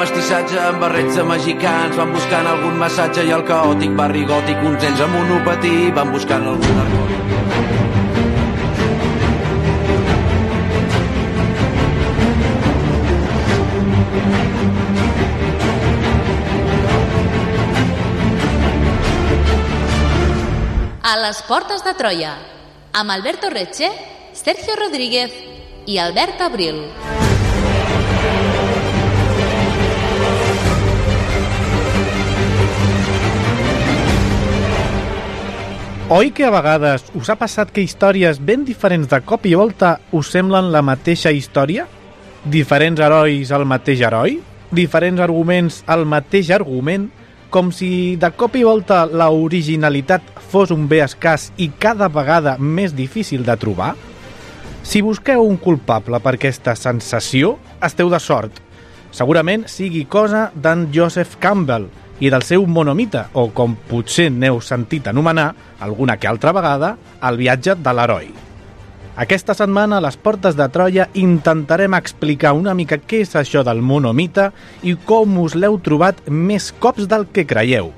mestissatge amb barrets de mexicans, van buscant algun massatge i el caòtic barri gòtic, uns ells amb monopatí van buscant algun narcòtic. A les portes de Troia, amb Alberto Reche, Sergio Rodríguez i Albert Abril. Oi que a vegades us ha passat que històries ben diferents de cop i volta us semblen la mateixa història? Diferents herois al mateix heroi? Diferents arguments al mateix argument? Com si de cop i volta la originalitat fos un bé escàs i cada vegada més difícil de trobar? Si busqueu un culpable per aquesta sensació, esteu de sort. Segurament sigui cosa d'en Joseph Campbell i del seu monomite, o com potser n'heu sentit anomenar, alguna que altra vegada, el viatge de l'heroi. Aquesta setmana, a les portes de Troia, intentarem explicar una mica què és això del monomite i com us l'heu trobat més cops del que creieu.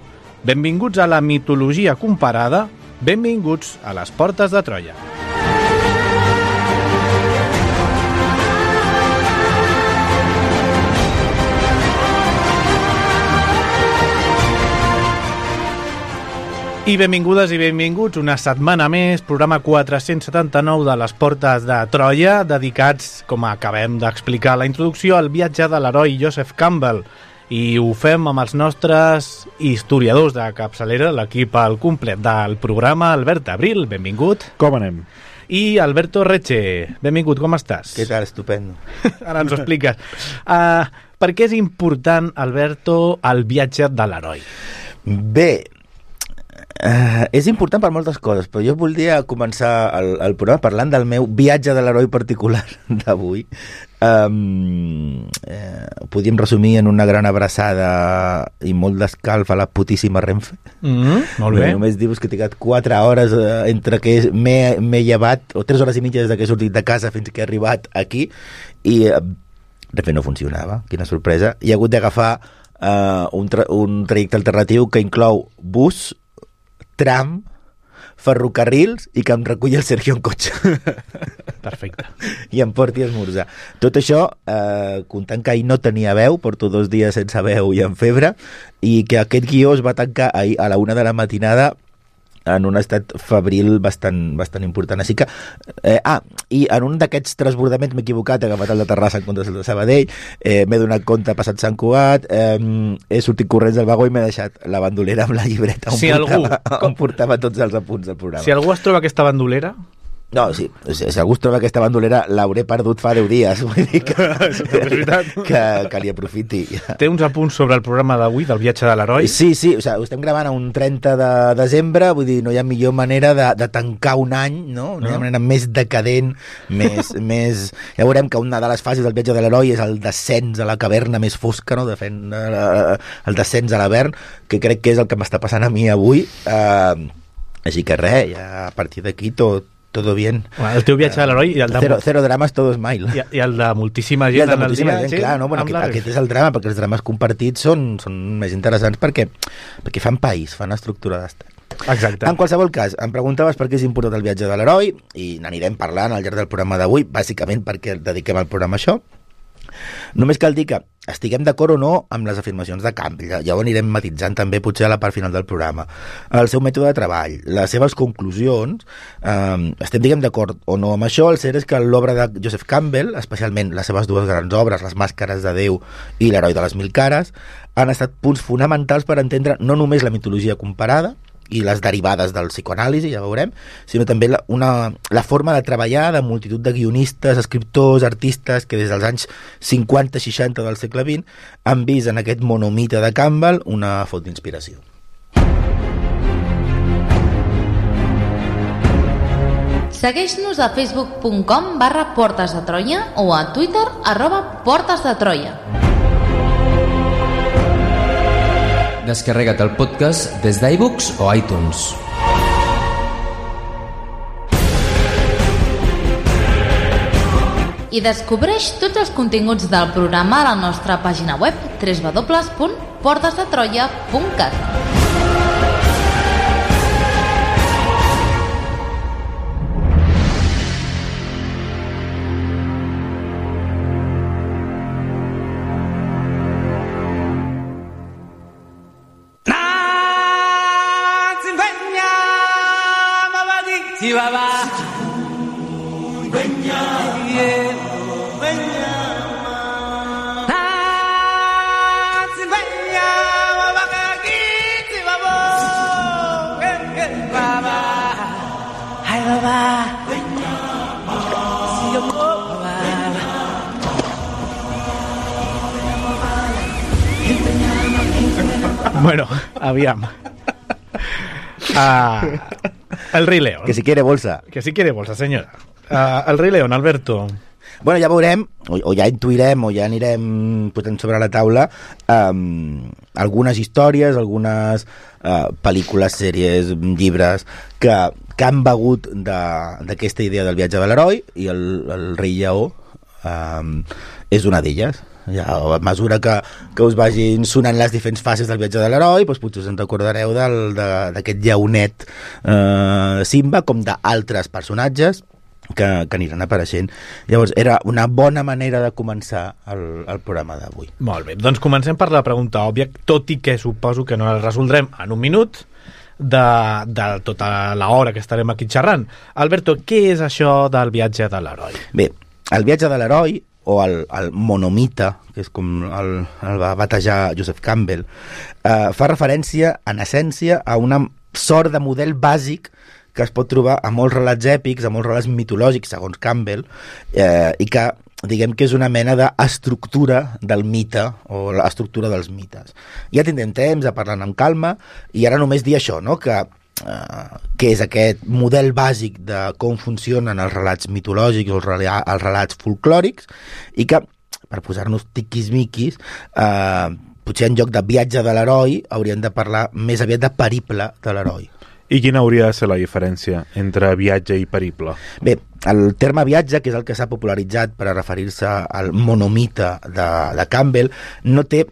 Benvinguts a la mitologia comparada, benvinguts a les portes de Troia. I benvingudes i benvinguts una setmana més, programa 479 de les portes de Troia, dedicats, com acabem d'explicar a la introducció, al viatge de l'heroi Joseph Campbell. I ho fem amb els nostres historiadors de capçalera, l'equip al complet del programa. Albert Abril, benvingut. Com anem? I Alberto Reche, benvingut, com estàs? Què tal? Estupendo. Ara ens ho expliques. Per què és important, Alberto, el viatge de l'heroi? Bé, és important per moltes coses, però jo voldria començar el programa parlant del meu viatge de l'heroi particular d'avui. Podríem resumir en una gran abraçada i molt d'escalf a la putíssima Renfe. Molt bé. Només dir-vos que he trigat 4 hores entre que m'he llevat, o 3 hores i mitja des que he sortit de casa fins que he arribat aquí, i Renfe no funcionava. Quina sorpresa. I he hagut d'agafar un trajecte alternatiu que inclou bus, tram, ferrocarrils i que em reculli el Sergio en cotxe. Perfecte. I em porti a esmorzar. Tot això, comptant que ahir no tenia veu, porto 2 dies sense veu i amb febre, i que aquest guió es va tancar ahir a la 1 de la matinada en un estat febril bastant important. Així que, i en un d'aquests transbordaments m'he equivocat, he agafat el de Terrassa en comptes del de Sabadell, m'he donat compte passat Sant Cugat, he sortit corrents del vagó i m'he deixat la bandolera amb la llibreta on portava tots els apunts del programa. Si algú es troba aquesta bandolera... No, sí, si algú es troba aquesta bandolera l'hauré perdut fa 10 dies, vull dir que li aprofiti. Té uns apunts sobre el programa d'avui, del viatge de l'heroi? Sí, o sigui, ho estem gravant a un 30 de desembre, vull dir, no hi ha millor manera de tancar un any, no? No hi ha manera més decadent, més... Ja veurem que una de les fases del viatge de l'heroi és el descens a la caverna més fosca, no? El descens a l'Avern, que crec que és el que m'està passant a mi avui, així que res, ja a partir d'aquí todo bien. Bueno, el teu viatge de l'heroi... Cero drames, todo smile. I el de moltíssima gent. I el de moltíssima gent, clar. No? Bueno, aquest és el drama, perquè els drames compartits són més interessants perquè fan país, fan estructura d'estat. Exacte. En qualsevol cas, em preguntaves per què és important el viatge de l'heroi i n'anirem parlant al llarg del programa d'avui, bàsicament perquè dediquem el programa a això. Només cal dir que estiguem d'acord o no amb les afirmacions de Campbell, ja ho anirem matitzant també potser a la part final del programa, el seu mètode de treball, les seves conclusions, estem diguem d'acord o no amb això. El cert és que l'obra de Joseph Campbell, especialment les seves 2 grans obres, Les màscares de Déu i L'heroi de les 1000 cares, han estat punts fonamentals per entendre no només la mitologia comparada i les derivades del psicoanàlisi, ja veurem, sinó també la forma de treballar de multitud de guionistes, escriptors, artistes que des dels anys 50-60 del segle XX han vist en aquest monomite de Campbell una font d'inspiració. Segueix-nos a facebook.com/Portes de Troia o a Twitter @PortesDeTroia. Descarrega't el podcast des d'iVoox o iTunes. i descobreix tots els continguts del programa a la nostra pàgina web www.portasdetroia.cat. Bueno, aviam. El Rei León. Que si quiere bolsa. Que si quiere bolsa, senyora. El Rei León, Alberto. Bueno, ja veurem, o ja intuirem, o ja anirem posant sobre la taula algunes històries, algunes pel·lícules, sèries, llibres que han begut d'aquesta idea del viatge de l'heroi, i el Rei Lleó és una d'elles. Ja, a mesura que us vagin sonant les diferents fases del viatge de l'heroi, doncs potser us en recordareu d'aquest lleonet Simba, com d'altres personatges que aniran apareixent. Llavors, era una bona manera de començar el programa d'avui. Molt bé, doncs comencem per la pregunta òbvia, tot i que suposo que no la resoldrem en un minut de tota l'hora que estarem aquí xerrant. Alberto, què és això del viatge de l'heroi? Bé, el viatge de l'heroi, o el monomite, que és com el va batejar Joseph Campbell, fa referència, en essència, a una sort de model bàsic que es pot trobar a molts relats èpics, a molts relats mitològics, segons Campbell, i que, diguem que és una mena d'estructura del mite, o l'estructura dels mites. Ja tindrem temps a parlar amb calma, i ara només dir això, no?, que és aquest model bàsic de com funcionen els relats mitològics o els relats folclòrics, i que, per posar-nos tiquis-miquis, potser en lloc de viatge de l'heroi hauríem de parlar més aviat de periple de l'heroi. I quina hauria de ser la diferència entre viatge i periple? Bé, el terme viatge, que és el que s'ha popularitzat per a referir-se al monomite de Campbell, no té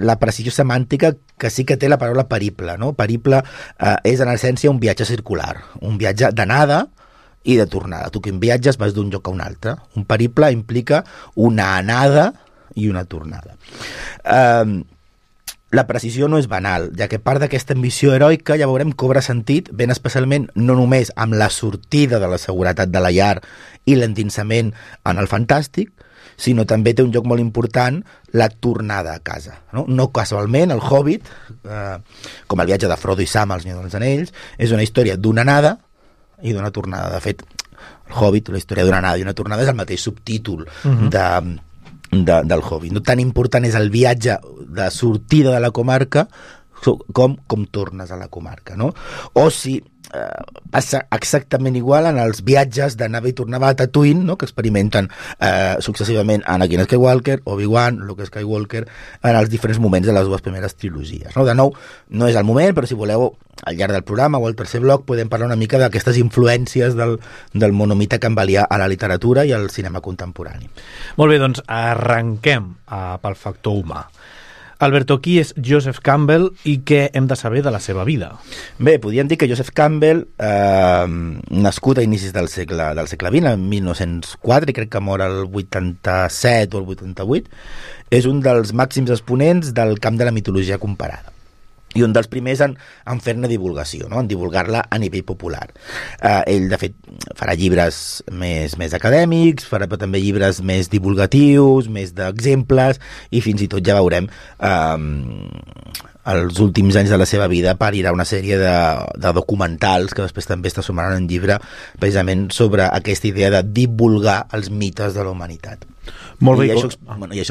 la precisió semàntica que sí que té la paraula periple, no? Periple és en essència un viatge circular, un viatge d'anada i de tornada. Tu que en viatges vas d'un lloc a un altre. Un periple implica una anada i una tornada. La precisió no és banal, ja que part d'aquesta ambició heroica, ja veurem, cobra sentit, ben especialment no només amb la sortida de la seguretat de la llar i l'endinsament en el fantàstic, sinó també té un lloc molt important la tornada a casa. No casualment, el Hobbit, com el viatge de Frodo i Sam al Senyor dels Anells, és una història d'una anada i d'una tornada. De fet, el Hobbit, la història d'una anada i una tornada, és el mateix subtítol del Hobbit. No tan important és el viatge de sortida de la comarca com tornes a la comarca, no? O si passa exactament igual en els viatges d'anada i tornada a Tatooine, no?, que experimenten successivament Anakin Skywalker, Obi-Wan, Luke Skywalker, en els diferents moments de les dues primeres trilogies, no? De nou, no és el moment, però si voleu, al llarg del programa o al tercer bloc podem parlar una mica d'aquestes influències del monomite campbellià a la literatura i al cinema contemporani. Molt bé, doncs arrenquem pel factor humà. Alberto, qui és Joseph Campbell i què hem de saber de la seva vida? Bé, podríem dir que Joseph Campbell, nascut a inicis del segle XX, en 1904, i crec que mor el 87 o el 88, és un dels màxims exponents del camp de la mitologia comparada. I un dels primers en fer-ne divulgació, no?, en divulgar-la a nivell popular. Ell, de fet, farà llibres més acadèmics, farà també llibres més divulgatius, més d'exemples, i fins i tot ja veurem els últims anys de la seva vida parirà una sèrie de documentals que després també es transformaran en llibre precisament sobre aquesta idea de divulgar els mites de la humanitat. Molt bé, I això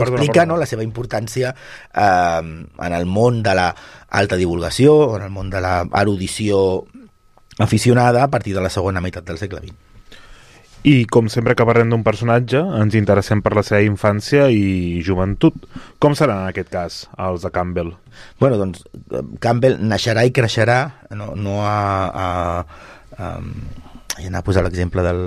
explica, no, la seva importància en el món de l'alta divulgació, en el món de l'erudició aficionada a partir de la segona meitat del segle XX. I com sempre que parlem d'un personatge, ens interessem per la seva infància i joventut. Com serà en aquest cas els de Campbell? Bueno, doncs anava a posar l'exemple del...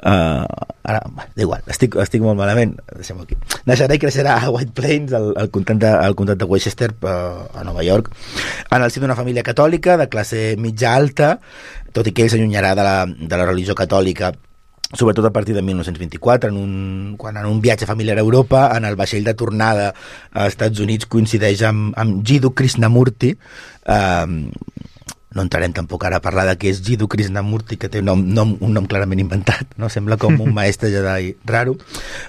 ara, d'igual, estic molt malament, deixem-ho aquí. Naixerà i creixerà a White Plains, al comtat de Westchester, a Nova York, en el si d'una família catòlica de classe mitja alta, tot i que ell s'allunyarà de la religió catòlica sobretot a partir de 1924, quan en un viatge familiar a Europa, en el vaixell de tornada als Estats Units coincideix amb Jiddu Krishnamurti. No entrarem tampoc ara a parlar de què és Jiddu Krishnamurti, que té un nom clarament inventat, no? Sembla com un mestre Jedi raro,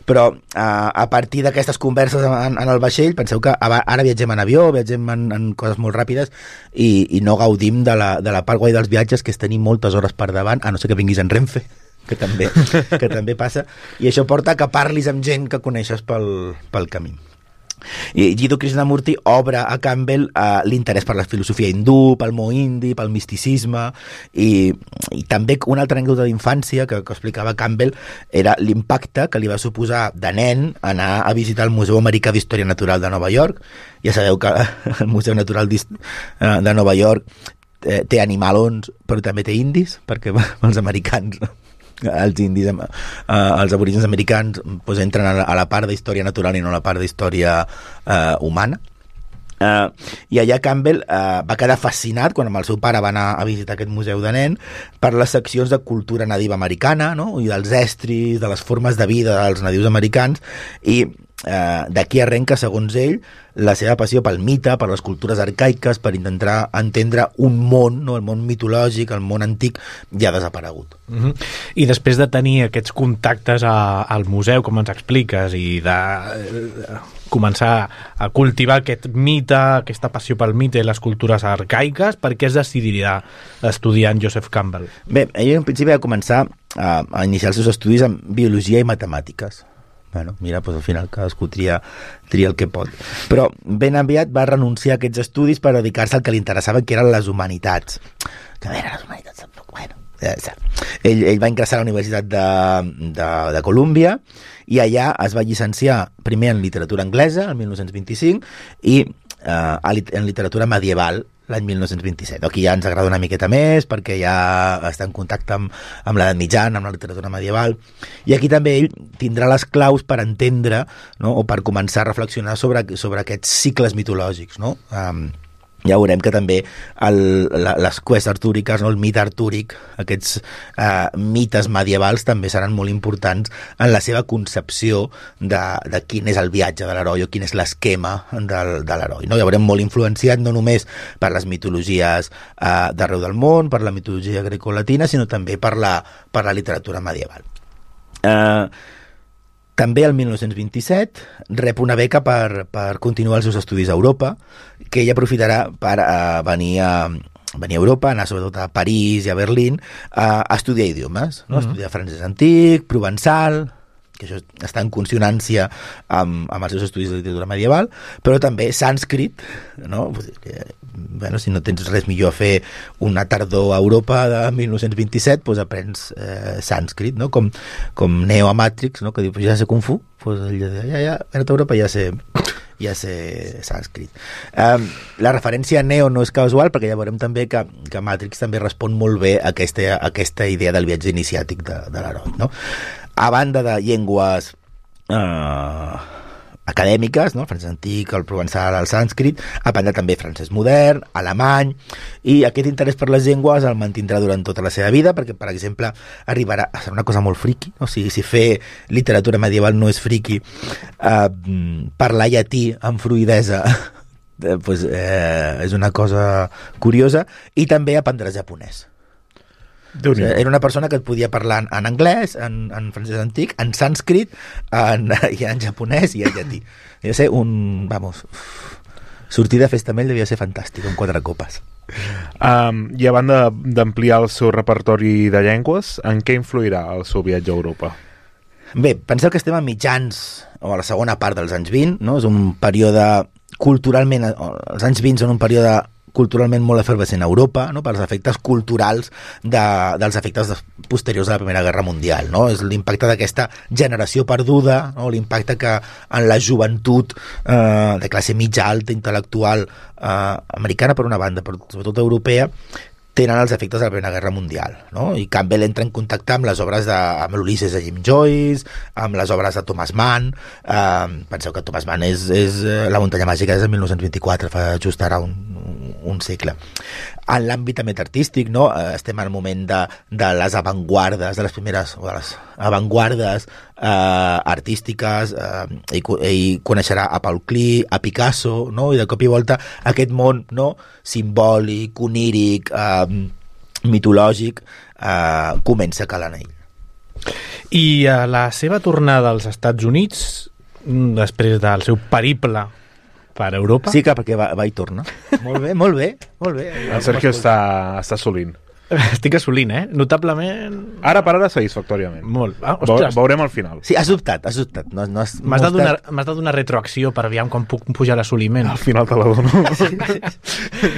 però a partir d'aquestes converses en el vaixell, penseu que ara viatgem en avió, viatgem en coses molt ràpides i no gaudim de la part guai dels viatges, que és tenir moltes hores per davant, a no ser que vinguis en Renfe, que també passa, i això porta que parlis amb gent que coneixes pel camí. I Jiddu Krishnamurti obre a Campbell l'interès per la filosofia hindú, pel món indi, pel misticisme, i també una altra anècdota d'infància que explicava Campbell era l'impacte que li va suposar de nen anar a visitar el Museu Americà d'Història Natural de Nova York. Ja sabeu que el Museu Natural de Nova York té animalons, però també té indis, perquè els americans, els indis, els aborígens americans, doncs entren a la part d'història natural i no a la part d'història humana. I allà Campbell va quedar fascinat quan amb el seu pare va anar a visitar aquest museu de nen per les seccions de cultura nadiva americana, no? I dels estris, de les formes de vida dels nadius americans, i d'aquí arrenca, segons ell, la seva passió pel mite, per les cultures arcaiques, per intentar entendre un món, no? El món mitològic, el món antic, ja desaparegut. I després de tenir aquests contactes al museu, com ens expliques, i de començar a cultivar aquest mite, aquesta passió pel mite i les cultures arcaiques, per què es decidiria estudiar en Joseph Campbell? Bé, ell en principi va començar a iniciar els seus estudis en biologia i matemàtiques. Bueno, mira, doncs al final cadascú tria el que pot. Però ben aviat va renunciar a aquests estudis per dedicar-se al que li interessava, que eren les humanitats. Que a veure, les humanitats tampoc, bueno... Ell va ingressar a la Universitat de Colúmbia i allà es va llicenciar primer en literatura anglesa, el 1925, i en literatura medieval, l'any 1927. Aquí ja ens agrada una miqueta més, perquè ja està en contacte amb l'edat mitjana, amb la literatura medieval, i aquí també ell tindrà les claus per entendre, no? O per començar a reflexionar sobre aquests cicles mitològics, no? Ja veurem que també les quests artúriques, no? El mite artúric, aquests mites medievals també seran molt importants en la seva concepció de quin és el viatge de l'heroi o quin és l'esquema de l'heroi, no? Ja veurem molt influenciat no només per les mitologies d'arreu del món, per la mitologia grecolatina, sinó també per la literatura medieval. També el 1927 rep una beca per continuar els seus estudis a Europa, que ell aprofitarà per venir a Europa, anar sobretot a París i a Berlín a estudiar idiomes, no? Estudiar francès antic, provençal, que això està en consonància amb els seus estudis de literatura medieval, però també sànscrit, no? Bueno, si no tens res millor a fer una tardor a Europa de 1927, doncs aprens sànscrit, no? Com Neo a Matrix, no? Que diu, ja sé Kung Fu, doncs ja a Europa ja sé sànscrit. La referència a Neo no és casual, perquè ja veurem també que Matrix també respon molt bé a aquesta idea del viatge iniciàtic de l'heroi, no? A banda de llengües acadèmiques, no? El francès antic, el provençal, el sànscrit, aprendrà també francès modern, alemany, i aquest interès per les llengües el mantindrà durant tota la seva vida, perquè, per exemple, arribarà a ser una cosa molt friqui, no? Si fer literatura medieval no és friqui, parlar llatí amb fluïdesa pues, és una cosa curiosa, i també aprendrà japonès. Era una persona que et podia parlar en anglès, en francès antic, en sànscrit, i en japonès i en llatí. Devia ser sortir de festa amb ell devia ser fantàstic, amb 4 copes. I a banda d'ampliar el seu repertori de llengües, en què influirà el seu viatge a Europa? Bé, penseu que estem a mitjans, o a la segona part dels anys 20, no? És un període culturalment... Els anys 20 són un període culturalment molt efervescent a Europa, no? Per els efectes culturals dels efectes posteriors a la Primera Guerra Mundial, no? És l'impacte d'aquesta generació perduda, no? L'impacte que en la joventut de classe mitja alta, intel·lectual americana per una banda, però sobretot europea, tenen els efectes de la Primera Guerra Mundial, no? I Campbell entra en contacte amb les obres amb l'Ulisses de Jim Joyce, amb les obres de Thomas Mann. Penseu que Thomas Mann és La muntanya màgica és de 1924, fa just ara un segle. En l'àmbit també artístic, no? Estem al moment de les avantguardes, de les primeres o de les avantguardes artístiques, ell coneixerà a Paul Klee, a Picasso, no? I de cop i volta aquest món, no? Simbòlic, oníric, mitològic, comença a calar en ell. I a la seva tornada als Estats Units, després del seu periple per Europa... Sí, que perquè va i torna. Molt bé, molt bé, molt bé. El Sergio està assolint. Estic assolint, Notablement... Ara per ara satisfactòriament. Molt. Ostres. Veurem al final. Sí, has dubtat. No, m'has de donar retroacció per aviam quan puc pujar l'assoliment. Al final te la dono.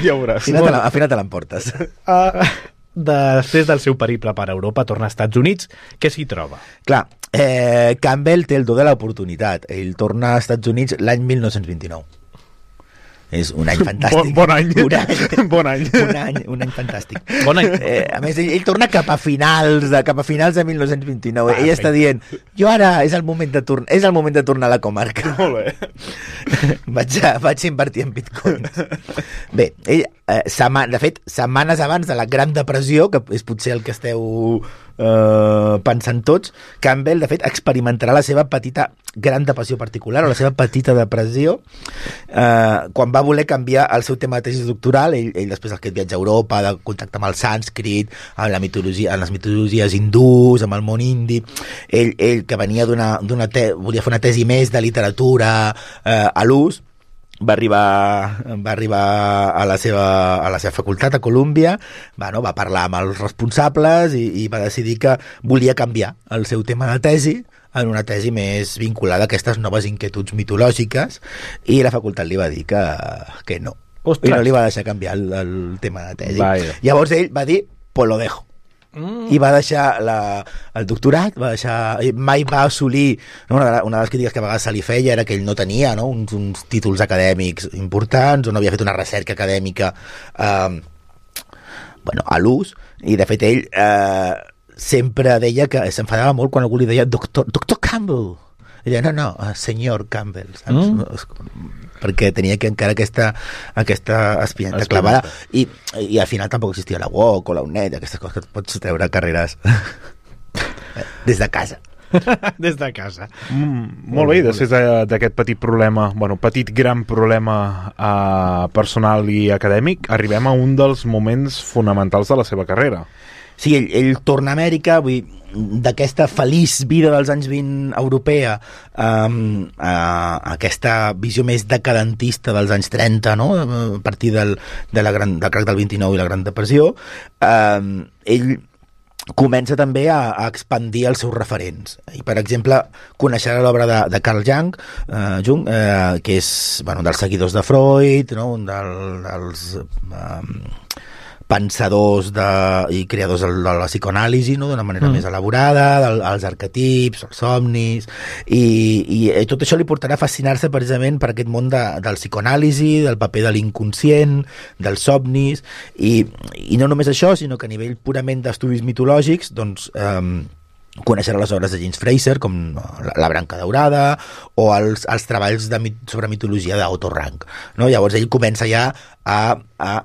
Ja ho veuràs. Al final te l'emportes. Després del seu periple per Europa, torna als Estats Units. Què s'hi troba? Clar, Campbell té el do de l'oportunitat. Ell torna als Estats Units l'any 1929. És un any fantàstic. Bon any. Bon any. Un any fantàstic. Bon any. A més, ell torna cap a finals de 1929. Ell està dient, jo ara és el moment de tornar a la comarca. Molt bé. Vaig invertir en bitcoins. Bé, ell, de fet, setmanes abans de la Gran Depressió, que és potser el que esteu pensant tots, Campbell, de fet, experimentarà la seva petita Gran Depressió particular, o la seva petita depressió, quan va voler canviar el seu tema de tesi doctoral. Ell després d'aquest viatge a Europa, de contacte amb el sànscrit, amb les mitologies hindús, amb el món indi, ell que venia volia fer una tesi més de literatura a l'ús, va arribar a la seva facultat a Colúmbia, va parlar amb els responsables i va decidir que volia canviar el seu tema de tesi en una tesi més vinculada a aquestes noves inquietuds mitològiques, i la facultat li va dir que no. Ostres. I no li va deixar canviar el tema de tesi. Vaya. Llavors ell va dir, pues lo dejo. I va deixar el doctorat, mai va assolir, no? Una de les crítiques que a vegades se li feia era que ell no tenia, no? uns títols acadèmics importants, o no havia fet una recerca acadèmica a l'ús, i de fet ell sempre deia que s'enfadava molt quan algú li deia doctor Campbell. Ella, no, senyor Campbell, saps? Perquè tenia que encara aquesta espineta clavada, i al final tampoc existia la UOC o la UNED, aquestes coses que et pots treure carreres des de casa. Des de casa. Molt bé, després d'aquest petit problema, gran problema personal i acadèmic, arribem a un dels moments fonamentals de la seva carrera. Sí, ell torna a Amèrica, d'aquesta feliç vida dels anys 20 europea a aquesta visió més decadentista dels anys 30, no? A partir del crac del 29 i la Gran Depressió, ell comença també a expandir els seus referents. I, per exemple, coneixerà l'obra de Carl Jung, que és dels seguidors de Freud, no? Un dels pensadors i creadors de la psicoanàlisi, no? D'una manera més elaborada, els arquetips, els somnis, i tot això li portarà a fascinar-se precisament per aquest món del psicoanàlisi, del paper de l'inconscient, dels somnis, i no només això, sinó que a nivell purament d'estudis mitològics, doncs conèixer les obres de James Fraser, com La branca daurada, o els treballs sobre mitologia d'Otto Rank, no? Llavors ell comença ja a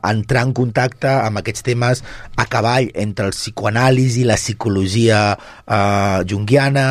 entrar en contacte amb aquests temes a cavall entre el psicoanàlisi, la psicologia junguiana,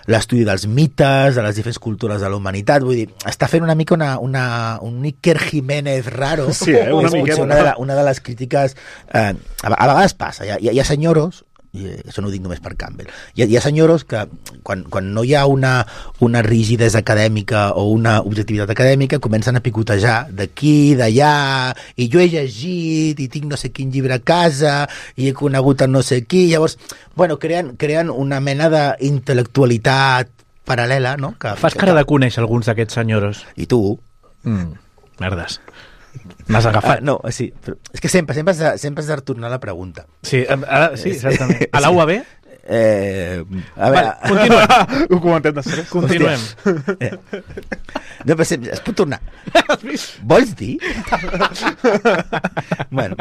l'estudi dels mites, de les diferents cultures de la humanitat. Vull dir, està fent una mica un Iker Jiménez raro. Sí, una mica. Una de les crítiques a vegades passa, hi ha senyoros, i això no ho dic només per Campbell, hi ha senyoros que quan no hi ha una rigidesa acadèmica o una objectivitat acadèmica comencen a picotejar d'aquí, d'allà, i jo he llegit i tinc no sé quin llibre a casa i he conegut a no sé qui. Llavors, creen una mena d'intel·lectualitat paral·lela, no? Fas cara de conèixer alguns d'aquests senyoros. I tu? Merdes. M'has agafat. No, sí, però és que sempre has de tornar la pregunta. Sí, ara, sí, exactament. A la UAB? A veure... Continuem. Ho comentem després. Continuem. No, però es pot tornar. Vols dir? Bueno,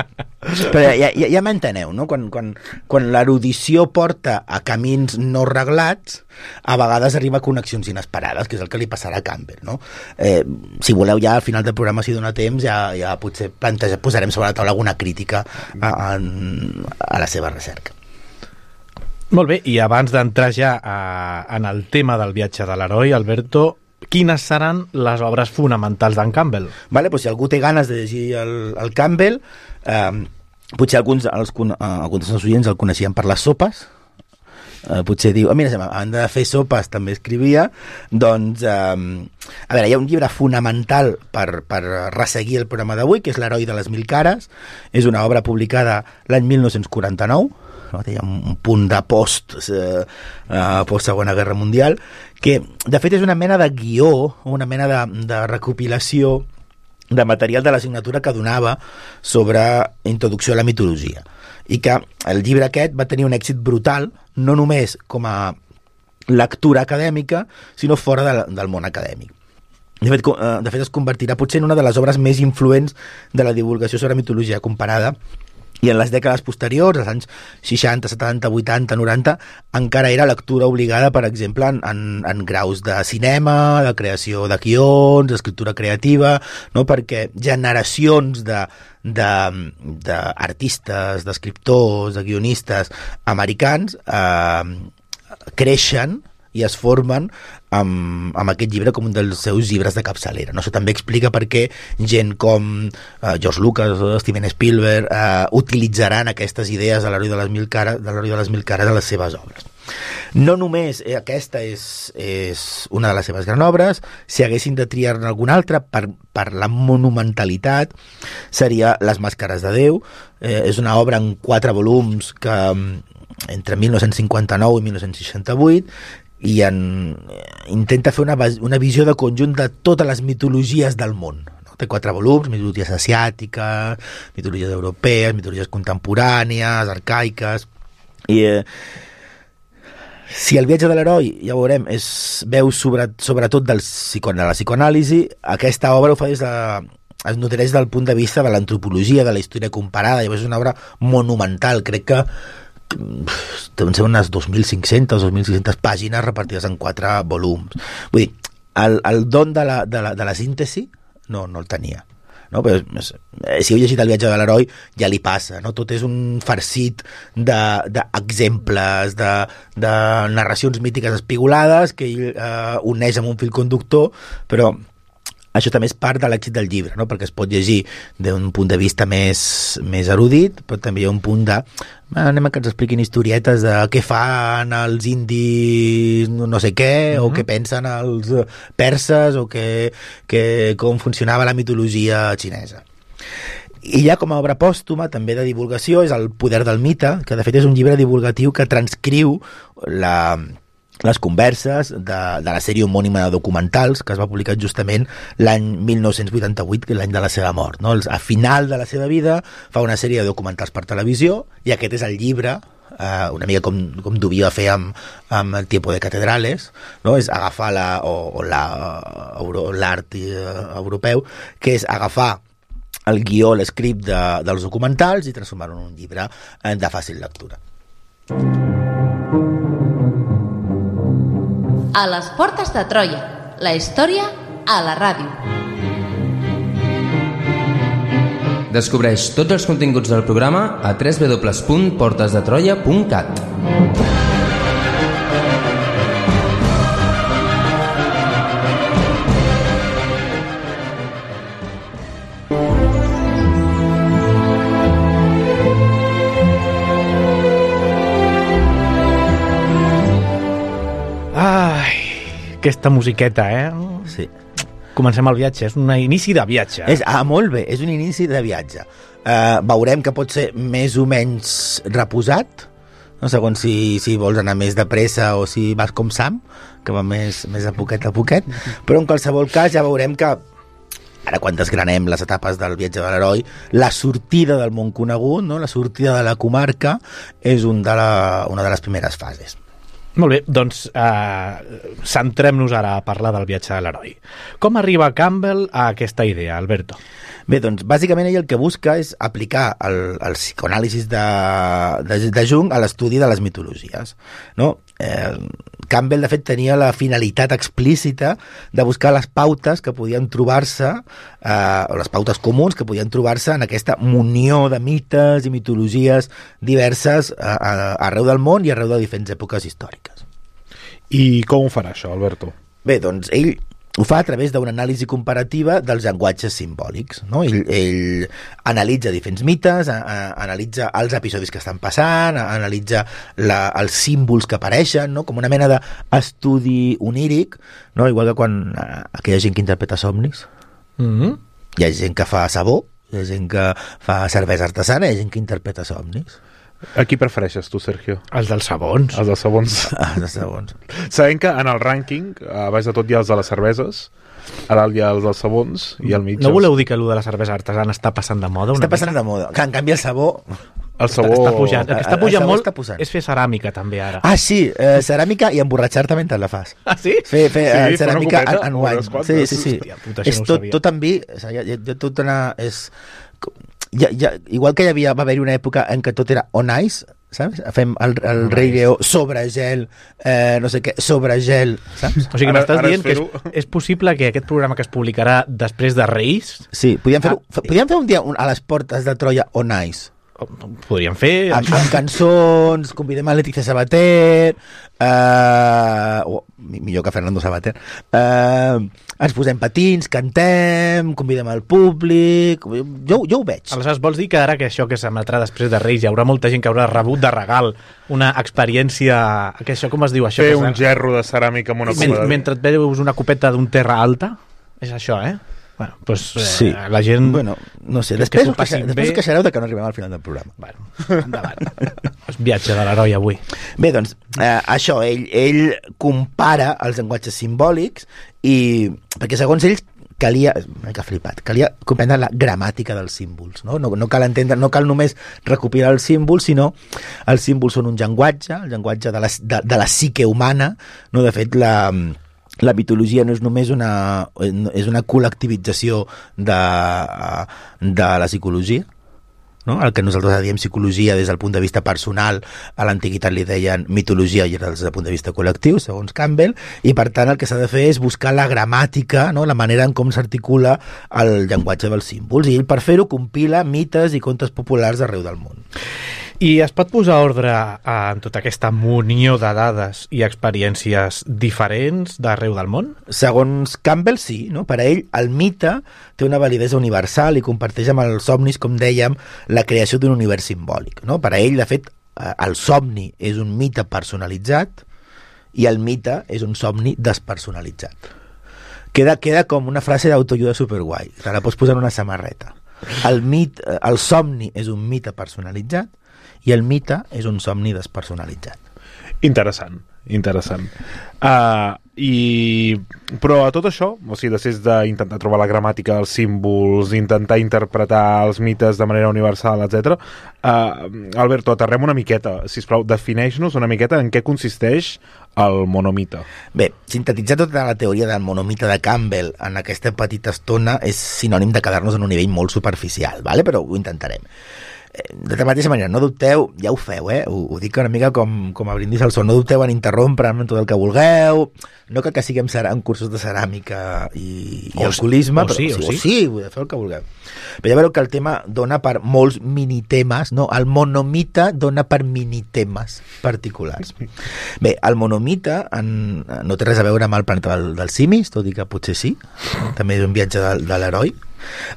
però ja m'enteneu, no? Quan l'erudició porta a camins no reglats, a vegades arriba a connexions inesperades, que és el que li passarà a Campbell, no? Si voleu, ja al final del programa, si dona temps, ja potser posarem sobre la taula alguna crítica a la seva recerca. Molt bé, i abans d'entrar ja en el tema del viatge de l'heroi, Alberto, quines seran les obres fonamentals d'en Campbell? Vale, doncs si algú té ganes de llegir el Campbell, potser alguns dels oients el coneixien per les sopes, potser diu, mira, a banda de fer sopes també escrivia, doncs a veure, hi ha un llibre fonamental per resseguir el programa d'avui, que és L'heroi de les 1000 cares. És una obra publicada l'any 1949, no? Té un punt de post Segona Guerra Mundial, que de fet és una mena de guió, una mena de recopilació de material de l'assignatura que donava sobre introducció a la mitologia, i que el llibre aquest va tenir un èxit brutal, no només com a lectura acadèmica, sinó fora del món acadèmic. De fet es convertirà potser en una de les obres més influents de la divulgació sobre mitologia comparada, i en les dècades posteriors, als anys 60, 70, 80, 90, encara era lectura obligada, per exemple, en graus de cinema, de creació de guions, d'escriptura creativa, no? Perquè generacions d'artistes, d'escriptors, de guionistes americans creixen i es formen amb aquest llibre com un dels seus llibres de capçalera. No? Això també explica per què gent com George Lucas o Steven Spielberg utilitzaran aquestes idees de l'heroi de les 1000 cares a les seves obres. No només aquesta és una de les seves grans obres, si haguessin de triar-ne alguna altra per la monumentalitat, seria Les màscares de Déu. És una obra en 4 volums que entre 1959 i 1968, i intenta fer una visió de conjunt de totes les mitologies del món. No? Té 4 volums: mitologies asiàtiques, mitologies europees, mitologies contemporànies, arcaiques. I si el viatge de l'heroi, ja ho veurem, veu sobretot de la psicoanàlisi, aquesta obra ho fa es nodreix del punt de vista de l'antropologia, de la història comparada. Llavors és una obra monumental, crec que deuen ser unes 2.500 o 2.600 pàgines repartides en 4 volums. Vull dir, el don de la síntesi no el tenia. No? Però, si heu llegit El viatge de l'heroi ja li passa, no? Tot és un farcit d'exemples, de narracions mítiques espigolades que ell uneix amb un fil conductor, però això també és part de l'èxit del llibre, no? Perquè es pot llegir d'un punt de vista més erudit, però també hi ha un punt de anem a que ens expliquin historietes de què fan els indis no sé què, o què pensen els perses, o com funcionava la mitologia xinesa. I ja com a obra pòstuma, també de divulgació, és El poder del mite, que de fet és un llibre divulgatiu que transcriu les converses de la sèrie homònima de documentals que es va publicar justament l'any 1988, que és l'any de la seva mort. No? A final de la seva vida fa una sèrie de documentals per televisió, i aquest és el llibre, una mica com devia fer amb El tiempo de catedrales, no? És agafar l'art europeu, que és agafar el guió, l'escript dels documentals i transformar-ho en un llibre de fàcil lectura. A les portes de Troia, la història a la ràdio. Descobreix tots els continguts del programa a www.portesdetroia.cat. Aquesta musiqueta, Sí. Comencem el viatge, és un inici de viatge. Molt bé, és un inici de viatge. Veurem que pot ser més o menys reposat, no? Segons si vols anar més de pressa o si vas com Sam, que va més a poquet, però en qualsevol cas ja veurem que ara quan desgranem les etapes del viatge de l'heroi, la sortida del món conegut, no? La sortida de la comarca, és una de les primeres fases. Molt bé, doncs centrem-nos ara a parlar del viatge de l'heroi. Com arriba Campbell a aquesta idea, Alberto? Bé, doncs, bàsicament ell el que busca és aplicar el psicoanàlisis de Jung a l'estudi de les mitologies, no? Campbell, de fet, tenia la finalitat explícita de buscar les pautes que podien trobar-se, o les pautes comuns que podien trobar-se en aquesta munió de mites i mitologies diverses arreu del món i arreu de diferents èpoques històriques. I com ho farà això, Alberto? Bé, doncs ell ho fa a través d'una anàlisi comparativa dels llenguatges simbòlics, no? Ell analitza diferents mites, analitza els episodis que estan passant, analitza els símbols que apareixen, no? Com una mena d'estudi oníric, no? Igual que quan aquella gent que interpreta somnis. Hi ha gent que fa sabó, hi ha gent que fa cervesa artesana, hi ha gent que interpreta somnis. A qui prefereixes tu, Sergio? Els dels sabons. Els dels sabons. Els dels sabons. Sabem que en el rànquing, a baix de tot hi ha els de les cerveses, a dalt hi ha els dels sabons i al mig... No voleu dir que allò de la cervesa artesana està passant de moda? Està passant de moda. Que en canvi el sabó... El sabó... Està pujant. El que està pujant molt és fer ceràmica, també, ara. Ah, sí, ceràmica i emborratxar-te mentre la fas. Ah, sí? Fer Sí, ceràmica fer una en copeta, wine. unes quantes. Sí. Hòstia, puta, això És no ho sabia. tot en vi. Tot una... Igual que va haver-hi una època en què tot era on ice, saps? Fem el Rei Lleó sobre gel, no sé què, sobre gel, saps? O sigui, m'estàs Ara dient que és possible que aquest programa que es publicarà després de Reis... Sí, podíem fer un dia a les portes de Troia on ice. Podríem fer... Amb cançons, convidem a Leticia Sabater, millor que Fernando Sabater, ens posem patins, cantem, convidem al públic, jo ho veig. Aleshores, vols dir que ara que això que s'emetrà després de Reis hi haurà molta gent que haurà rebut de regal una experiència... Que això, com es diu això? Fer un gerro de ceràmica amb una copa de... Mentre et veus una copeta d'un terra alta? És això, eh? Bueno, doncs sí. La gent... Bueno, no sé, després us queixareu de que no arribem al final del programa. Bueno, endavant. El viatge de l'heroi avui. Bé, doncs, això, ell compara els llenguatges simbòlics i... Perquè segons ells calia comprendre la gramàtica dels símbols, no? No cal entendre, no cal només recopilar els símbols, sinó els símbols són un llenguatge, el llenguatge de la psique humana, no? De fet, la mitologia no és només és una col·lectivització de la psicologia, no? El que nosaltres diem psicologia des del punt de vista personal, a l'antiguitat li deien mitologia i des del punt de vista col·lectiu, segons Campbell, i per tant el que s'ha de fer és buscar la gramàtica, no? La manera en com s'articula el llenguatge dels símbols, i ell per fer-ho compila mites i contes populars d'arreu del món. I es pot posar ordre en tota aquesta munió de dades i experiències diferents d'arreu del món? Segons Campbell, sí. No? Per a ell, el mite té una validesa universal i comparteix amb els somnis, com dèiem, la creació d'un univers simbòlic. No? Per a ell, de fet, el somni és un mite personalitzat i el mite és un somni despersonalitzat. Queda com una frase d'autoajuda superguai. Te la pots posar en una samarreta. El somni és un mite personalitzat i el mite és un somni despersonalitzat. Interessant. Però a tot això, o sigui, després d'intentar trobar la gramàtica dels símbols, intentar interpretar els mites de manera universal, etc. Alberto, aterrem una miqueta, sisplau, defineix-nos una miqueta en què consisteix el monomite. Bé, sintetitzar tota la teoria del monomite de Campbell en aquesta petita estona és sinònim de quedar-nos en un nivell molt superficial, ¿vale? Però ho intentarem. De la mateixa manera, no dubteu, ja ho feu, ho dic una mica com a brindis al sol, no dubteu en interrompre'm tot el que vulgueu, no cal que siguem en cursos de ceràmica i alcoholisme, però sí, feu el que vulgueu. Però ja veureu que el tema dona per molts minitemes, no? El monomite dona per minitemes particulars. Bé, el monomite no té res a veure amb el planeta dels simis, tot i que potser sí, també és un viatge de l'heroi.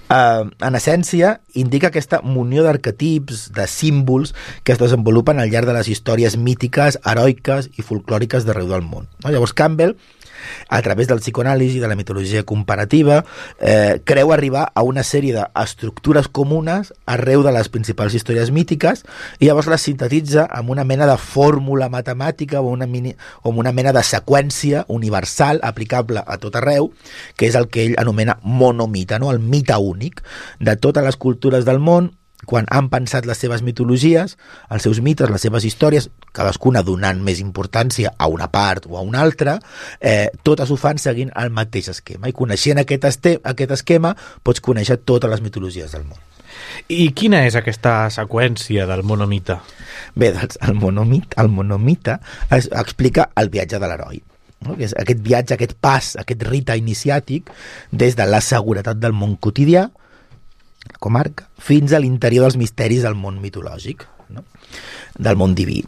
En essència, indica aquesta munió d'arquetips, de símbols que es desenvolupen al llarg de les històries mítiques, heroiques i folclòriques d'arreu del món. Llavors Campbell a través del psicoanàlisi, de la mitologia comparativa, creu arribar a una sèrie d'estructures comunes arreu de les principals històries mítiques i llavors les sintetitza amb una mena de fórmula matemàtica o una mena de seqüència universal aplicable a tot arreu, que és el que ell anomena monomita, no? El mite únic de totes les cultures del món. Quan han pensat les seves mitologies, els seus mites, les seves històries, cadascuna donant més importància a una part o a una altra, totes ho fan seguint el mateix esquema. I coneixent aquest esquema pots conèixer totes les mitologies del món. I quina és aquesta seqüència del monomita? Bé, doncs el monomita explica el viatge de l'heroi. No? Que és aquest viatge, aquest pas, aquest rite iniciàtic des de la seguretat del món quotidià, comarca, fins a l'interior dels misteris del món mitològic, no? Del món diví.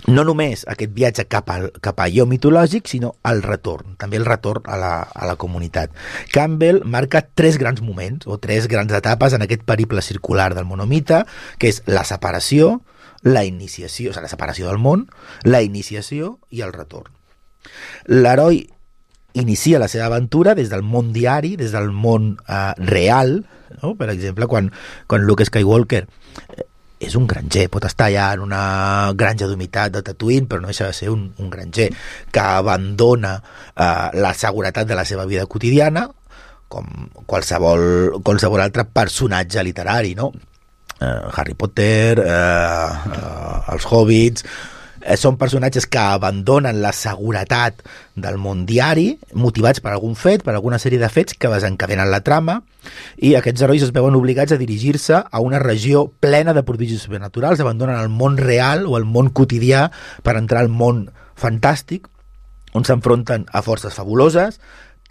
No només aquest viatge cap a allò mitològic, sinó el retorn, també el retorn a la comunitat. Campbell marca 3 grans moments, o 3 grans etapes en aquest periple circular del monomita, que és la separació, la iniciació, o sigui, la separació del món, la iniciació i el retorn. L'heroi inicia la seva aventura des del món diari, des del món real, no? Per exemple, quan Luke Skywalker és un granger, pot estar allà en una granja d'humitat de Tatooine, però no deixa de ser un granger que abandona la seguretat de la seva vida quotidiana, com qualsevol altre personatge literari, no? Harry Potter, els Hobbits... Són personatges que abandonen la seguretat del món diari, motivats per algun fet, per alguna sèrie de fets que desencadenen la trama, i aquests herois es veuen obligats a dirigir-se a una regió plena de prodigis sobrenaturals, abandonen el món real o el món quotidià per entrar al món fantàstic, on s'enfronten a forces fabuloses,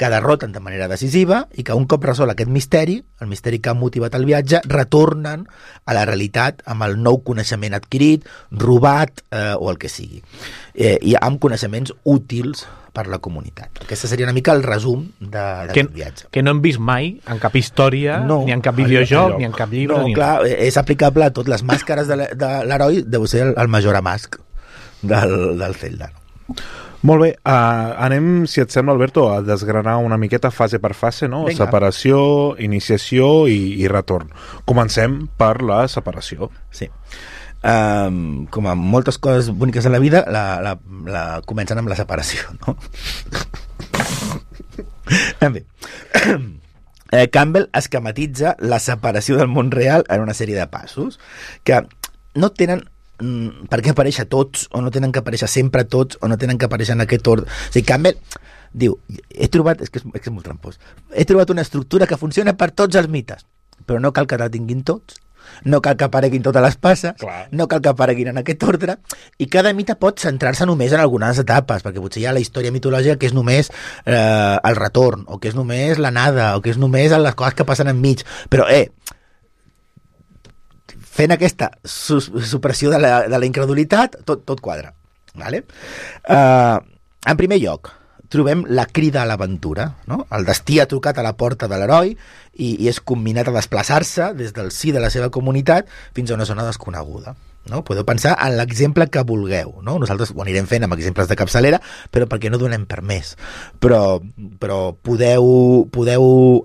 que derroten de manera decisiva i que un cop resol aquest misteri, el misteri que ha motivat el viatge, retornen a la realitat amb el nou coneixement adquirit, robat o el que sigui, i amb coneixements útils per la comunitat. Aquest seria una mica el resum d'aquest viatge. Que no hem vist mai en cap història, ni en cap videojoc, ni en cap llibre. No, clar, és aplicable a tot. Les màscares de l'heroi deu ser el Majora Mask del Zelda. Molt bé, anem, si et sembla, Alberto, a desgranar una miqueta fase per fase, no? Venga. Separació, iniciació i retorn. Comencem per la separació. Sí. Com a moltes coses boniques de la vida, comencen amb la separació, no? Bé. Campbell esquematitza la separació del món real en una sèrie de passos que no tenen per què aparèixer tots, o no tenen que aparèixer sempre tots, o no tenen que aparèixer en aquest ordre. O sigui, Campbell diu, és que és molt trampós, he trobat una estructura que funciona per tots els mites, però no cal que la tinguin tots, no cal que apareguin totes les passes, clar. No cal que apareguin en aquest ordre, i cada mite pot centrar-se només en algunes etapes, perquè potser hi ha la història mitològica que és només el retorn, o que és només l'anada, o que és només les coses que passen enmig, però fent aquesta supressió de la incredulitat, tot quadra. Vale? En primer lloc, trobem la crida a l'aventura. No? El destí ha trucat a la porta de l'heroi i és comminat a desplaçar-se des del si de la seva comunitat fins a una zona desconeguda. No? Podeu pensar en l'exemple que vulgueu. No? Nosaltres ho anirem fent amb exemples de capçalera, però perquè no donem per més. Però podeu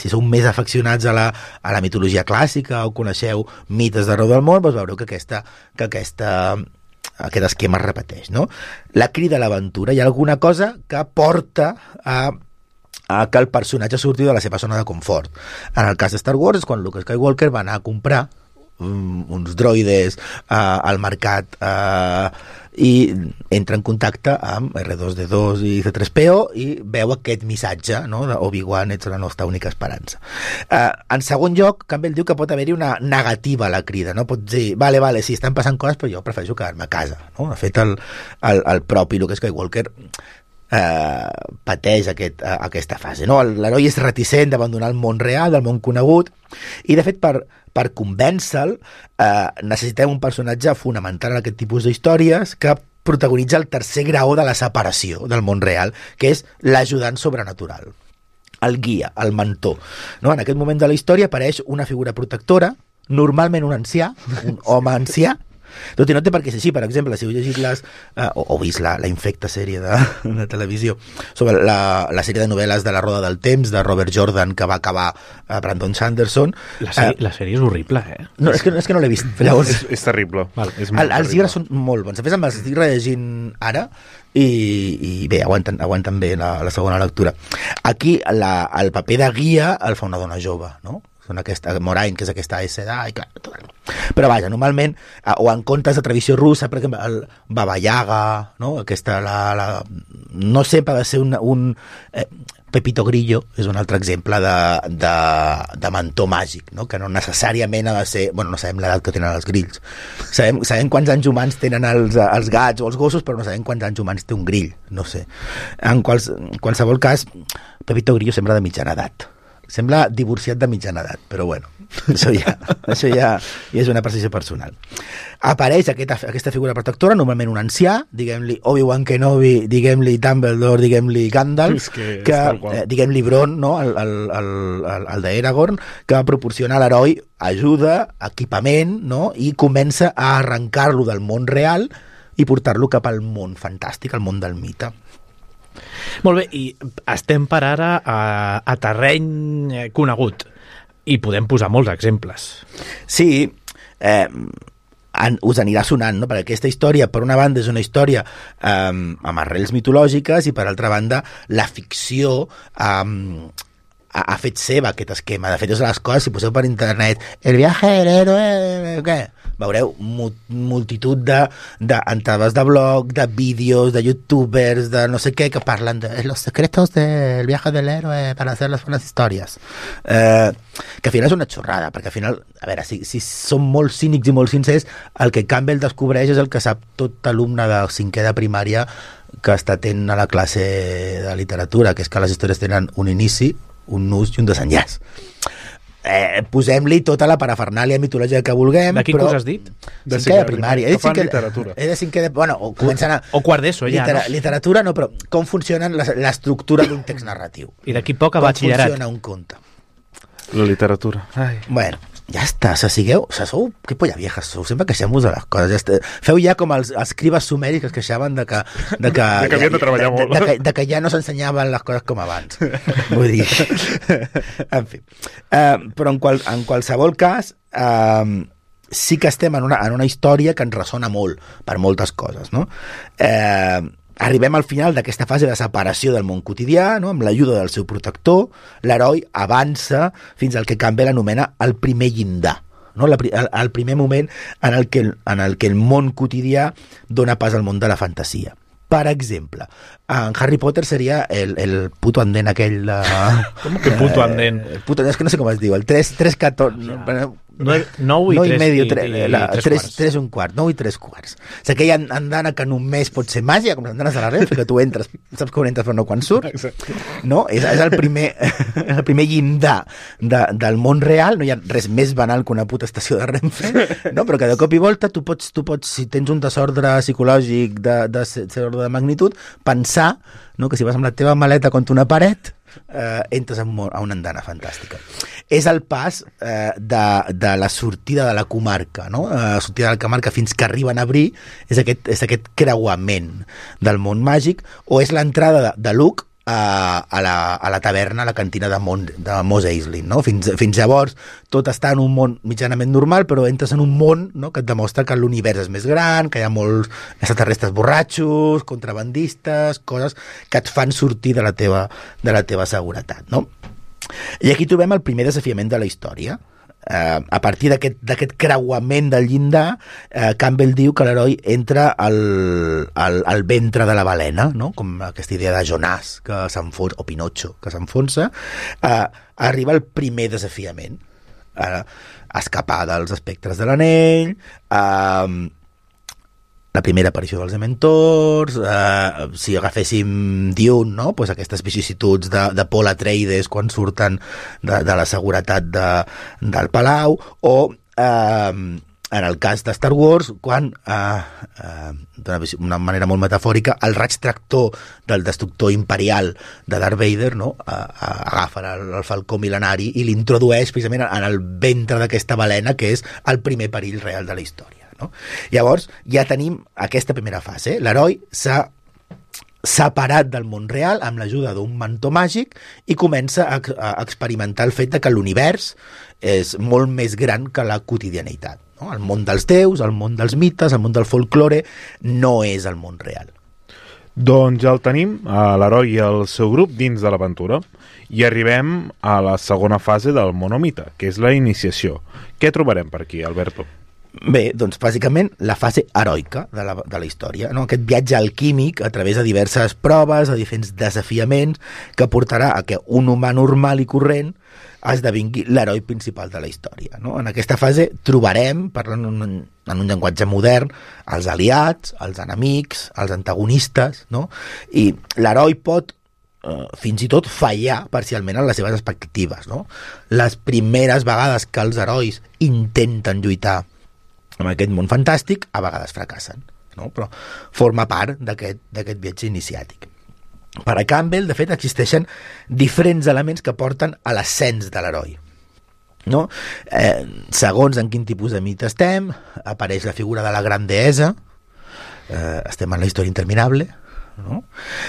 si sou més afeccionats a la mitologia clàssica o coneixeu mites d'arreu del món, doncs veureu que aquest esquema es repeteix. No? La crida a l'aventura, hi ha alguna cosa que porta a que el personatge surti de la seva zona de confort. En el cas de Star Wars és quan Luke Skywalker va anar a comprar uns droides al mercat i entra en contacte amb R2-D2 i C3PO i veu aquest missatge, no? De Obi-Wan, ets la nostra única esperança. En segon lloc, Campbell diu que pot haver-hi una negativa a la crida, no? Pot dir, vale, sí, estan passant coses, però jo prefereixo quedar-me a casa. No? De fet, el propi Luke Skywalker pateix aquesta fase, no? L'heroi és reticent d'abandonar el món real, del món conegut, i de fet per convèncer-lo necessitem un personatge fonamental en aquest tipus d'històries que protagonitza el tercer graó de la separació del món real, que és l'ajudant sobrenatural, el guia, el mentor, no? En aquest moment de la història apareix una figura protectora, normalment un ancià, un home ancià, Tot i no té per què ser així. Per exemple, si heu llegit o vist la infecta sèrie de televisió sobre la sèrie de novel·les de La Roda del Temps, de Robert Jordan, que va acabar Brandon Sanderson... La sèrie és horrible, No, és que no l'he vist. Llavors, és terrible. Val. Els llibres són molt bons. A més, els estic rellegint ara i bé, aguanten bé la segona lectura. Aquí el paper de guia el fa una dona jove, no? Moraine, que és aquesta SDA, i clar, però vaja, normalment, o en contes de tradició russa, per exemple, el Baba Yaga, no? Aquesta, no sempre ha de ser un Pepito Grillo és un altre exemple de mentor màgic, no? Que no necessàriament ha de ser... Bueno, no sabem l'edat que tenen els grills. Sabem quants anys humans tenen els gats o els gossos, però no sabem quants anys humans té un grill, no sé. En qualsevol cas, Pepito Grillo sembla de mitjana edat. Sembla divorciat de mitjana edat, però bueno, això ja és una percepció personal. Apareix aquesta figura protectora, normalment un ancià, diguem-li Obi-Wan Kenobi, diguem-li Dumbledore, diguem-li Gandalf, diguem-li Bron, no? el d'Aragorn, que proporciona a l'heroi ajuda, equipament, no? I comença a arrencar-lo del món real i portar-lo cap al món fantàstic, al món del mite. Molt bé, i estem per ara a terreny conegut i podem posar molts exemples. Sí, us anirà sonant, no? Perquè aquesta història, per una banda, és una història amb arrels mitològiques i, per altra banda, la ficció ha fet seva aquest esquema. De fet, és les coses, si poseu per internet el viaje del héroe, què? Veureu multitud d'entrades de blog, de vídeos, de youtubers, de no sé què, que parlen de los secretos del viaje del héroe para hacer las buenas historias. Que al final és una xorrada, perquè al final, a veure, si som molt cínics i molt sincers, el que Campbell descobreix és el que sap tot alumne de 5è de primària que està atent a la classe de literatura, que és que les històries tenen un inici, un nus i un desenllaç. Posem-li tota la parafernàlia mitològica que vulguem. De quin curs has dit? De 5è de primària. Que fan literatura. És de 5è de... Bueno, o comencen a... O quart d'ESO, ja, no? Literatura no, però com funciona l'estructura d'un text narratiu. I d'aquí poc a batxillerat. Com funciona un conte. La literatura. Ai. Bueno, ja està, sou que polla viejas sou, sempre queixem-vos de les coses, ja està. Feu ja com els escribes sumeris que es queixaven de que havien de treballar molt, de que ja no s'ensenyaven les coses com abans. Vull dir, en fi, però en qualsevol cas sí que estem en una història que ens ressona molt per moltes coses, no? Arribem al final d'aquesta fase de separació del món quotidià, no? Amb l'ajuda del seu protector, l'heroi avança fins al que Campbell anomena el primer llindar, no? El primer moment en el que el món quotidià dona pas al món de la fantasia. Per exemple, en Harry Potter seria el puto andén aquell de... Com que puto andén? És que no sé com es diu, el 3-14... 9 i 3 un quart, 9 i 3 quarts. És aquella andana que només pot ser màgia, com les andanes de la Renfe, que tu entres, saps quan entres però no quan surts, no? És el primer llindar del món real, no hi ha res més banal que una puta estació de Renfe, no? Però que de cop i volta tu pots, si tens un desordre psicològic de cert ordre de magnitud, pensar, no? Que si vas amb la teva maleta contra una paret entres a una andana fantàstica. És el pas de la sortida de la comarca, no? La sortida de la comarca fins que arriben a Bree, és aquest creuament del món màgic, o és l'entrada de Luke a la taverna, a la cantina de Mos Eisley, no? Fins llavors tot està en un món mitjanament normal, però entres en un món, no? Que et demostra que l'univers és més gran, que hi ha molts extraterrestres borratxos, contrabandistes, coses que et fan sortir de la teva seguretat, no? I aquí trobem el primer desafiament de la història. A partir d'aquest creuament del llindar, Campbell diu que l'heroi entra al ventre de la balena, no? Com aquesta idea de Jonàs que s'enfonsa, o Pinocho que s'enfonsa. Arriba el primer desafiament, escapar dels espectres de l'anell, la primera aparició dels Dementors, si agaféssim Dune, no? Pues aquestes vicissituds de Paul Atreides quan surten de la seguretat del Palau, o en el cas de Star Wars, quan d'una manera molt metafòrica el raig tractor del destructor imperial de Darth Vader, no? Agafa el falcó mil·lenari i l'introdueix precisament en el ventre d'aquesta balena, que és el primer perill real de la història. no? Llavors, ja tenim aquesta primera fase. L'heroi s'ha separat del món real amb l'ajuda d'un mantó màgic i comença a experimentar el fet de que l'univers és molt més gran que la quotidianitat. No? El món dels déus, el món dels mites, el món del folklore no és el món real. Doncs ja el tenim, l'heroi i el seu grup dins de l'aventura, i arribem a la segona fase del monomite, que és la iniciació. Què trobarem per aquí, Alberto? Bé, doncs bàsicament la fase heroica de la història, no? Aquest viatge alquímic a través de diverses proves, de diferents desafiaments, que portarà a que un humà normal i corrent esdevingui l'heroi principal de la història. No? En aquesta fase trobarem, parlant en un llenguatge modern, els aliats, els enemics, els antagonistes, no? I l'heroi pot fins i tot fallar parcialment en les seves expectatives. No? Les primeres vegades que els herois intenten lluitar en aquest món fantàstic, a vegades fracassen, no? Però forma part d'aquest viatge iniciàtic. Per a Campbell, de fet, existeixen diferents elements que porten a l'ascens de l'heroi. No? Segons en quin tipus de mite estem, apareix la figura de la gran deessa, estem en la història interminable, no?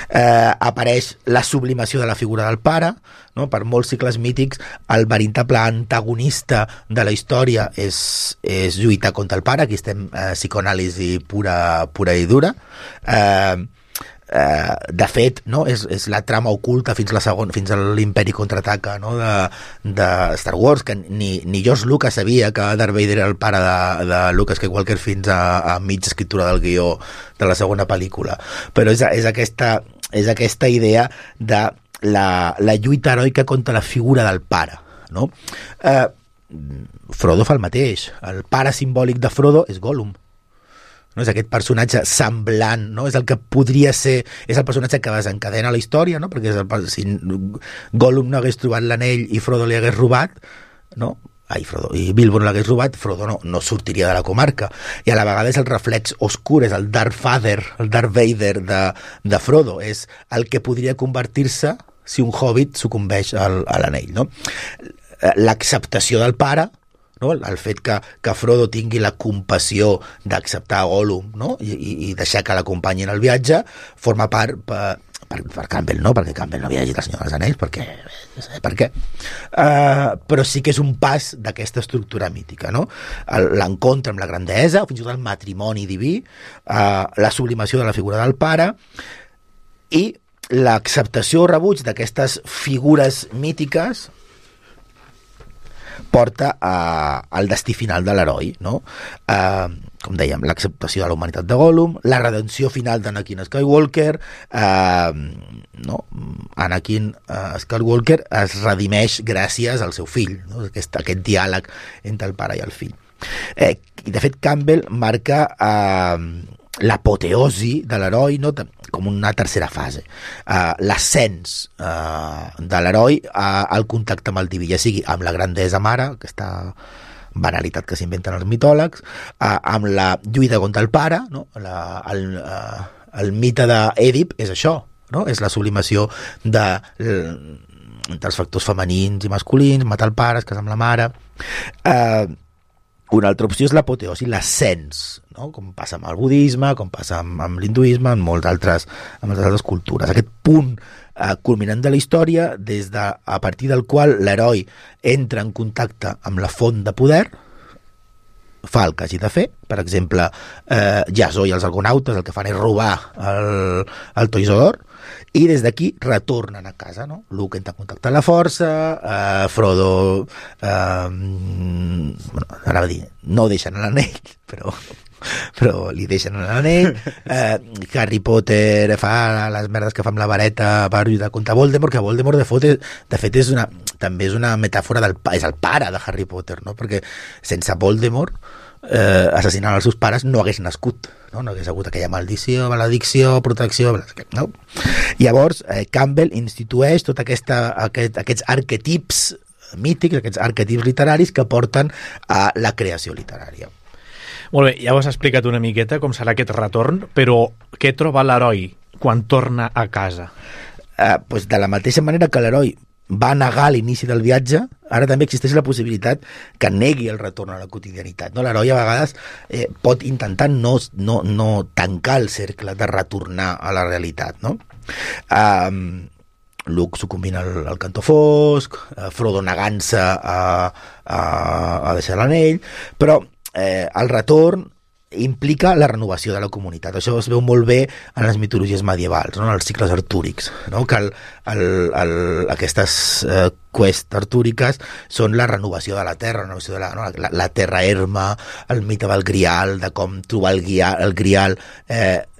Apareix la sublimació de la figura del pare, no? Per molts cicles mítics el veritable antagonista de la història és lluitar contra el pare. Aquí estem psicoanàlisi pura i dura. De fet, no? és la trama oculta fins a l'Imperi Contraataca, no? de Star Wars, que ni George Lucas sabia que Darth Vader era el pare de Luke Skywalker fins a mitja escriptura del guió de la segona pel·lícula. Però és aquesta idea de la lluita heroica contra la figura del pare, no? Frodo fa el mateix. El pare simbòlic de Frodo és Gollum. No? És aquest personatge semblant, no? És el que podria ser, és el personatge que desencadena la història, no? Perquè si Gollum no hagués trobat l'anell i Frodo li hagués robat, no? I Bilbo no l'hagués robat, Frodo no sortiria de la comarca, i a la vegada és el reflex oscur, és el Darth Vader de Frodo, és el que podria convertir-se si un hobbit sucumbeix a l'anell, no? L'acceptació del pare, no? El fet que Frodo tingui la compassió d'acceptar Gollum, no? I deixar que l'acompanyi en el viatge, forma part per Campbell, no? Perquè Campbell no havia llegit El Senyor dels Anells, per què? Però sí que és un pas d'aquesta estructura mítica, no? L'encontre amb la gran deessa, fins i tot el matrimoni diví, la sublimació de la figura del pare i l'acceptació o rebuig d'aquestes figures mítiques porta al destí final de l'heroi, no? Com dèiem, l'acceptació de la humanitat de Gollum, la redenció final d'Anakin Skywalker, no? Anakin Skywalker es redimeix gràcies al seu fill, no? Aquest diàleg entre el pare i el fill. I de fet Campbell marca l'apoteosi de l'heroi, no? Com una tercera fase, l'ascens de l'heroi al contacte amb el diví, ja sigui amb la grandesa mare, aquesta banalitat que s'inventen els mitòlegs, amb la lluita contra el pare, no? El mite d'Èdip és això, no? És la sublimació entre els factors femenins i masculins, matar el pare, es casar amb la mare. Una altra opció és l'apoteosi, l'ascens, no? Com passa amb el budisme, com passa amb l'hinduisme, amb moltes altres cultures. Aquest punt culminant de la història, a partir del qual l'heroi entra en contacte amb la font de poder, fa el que hagi de fer. Per exemple, Jasó i els argonautes el que fan és robar el Toisó d'Or, i des d'aquí retornen a casa, no? Luke entra en contacte amb la força, Frodo anava a dir, no deixen l'anell, però li deixen l'anell. Harry Potter fa les merdes que fa amb la vareta per lluitar contra Voldemort, que Voldemort de fet també és una metàfora és el pare de Harry Potter, no? Perquè sense Voldemort assassinant els seus pares no hagués nascut, no hagués hagut aquella maldició, maledicció, protecció, no? Llavors Campbell institueix tots aquests arquetips mítics, aquests arquetips literaris que porten a la creació literària. Molt bé, ja ho has explicat una miqueta com serà aquest retorn, però què troba l'heroi quan torna a casa? Pues de la mateixa manera que l'heroi va negar l'inici del viatge, ara també existeix la possibilitat que negui el retorn a la quotidianitat. No? L'heroi a vegades pot intentar no tancar el cercle de retornar a la realitat. No? Luke sucumbint al cantó fosc, Frodo negant-se a deixar l'anell, però el retorn implica la renovació de la comunitat. Això es veu molt bé en les mitologies medievals, no? En els cicles artúrics, no? Que aquestes quests artúriques són la renovació de la terra, la renovació de la terra erma, el mite del Grial, de com trobar el Grial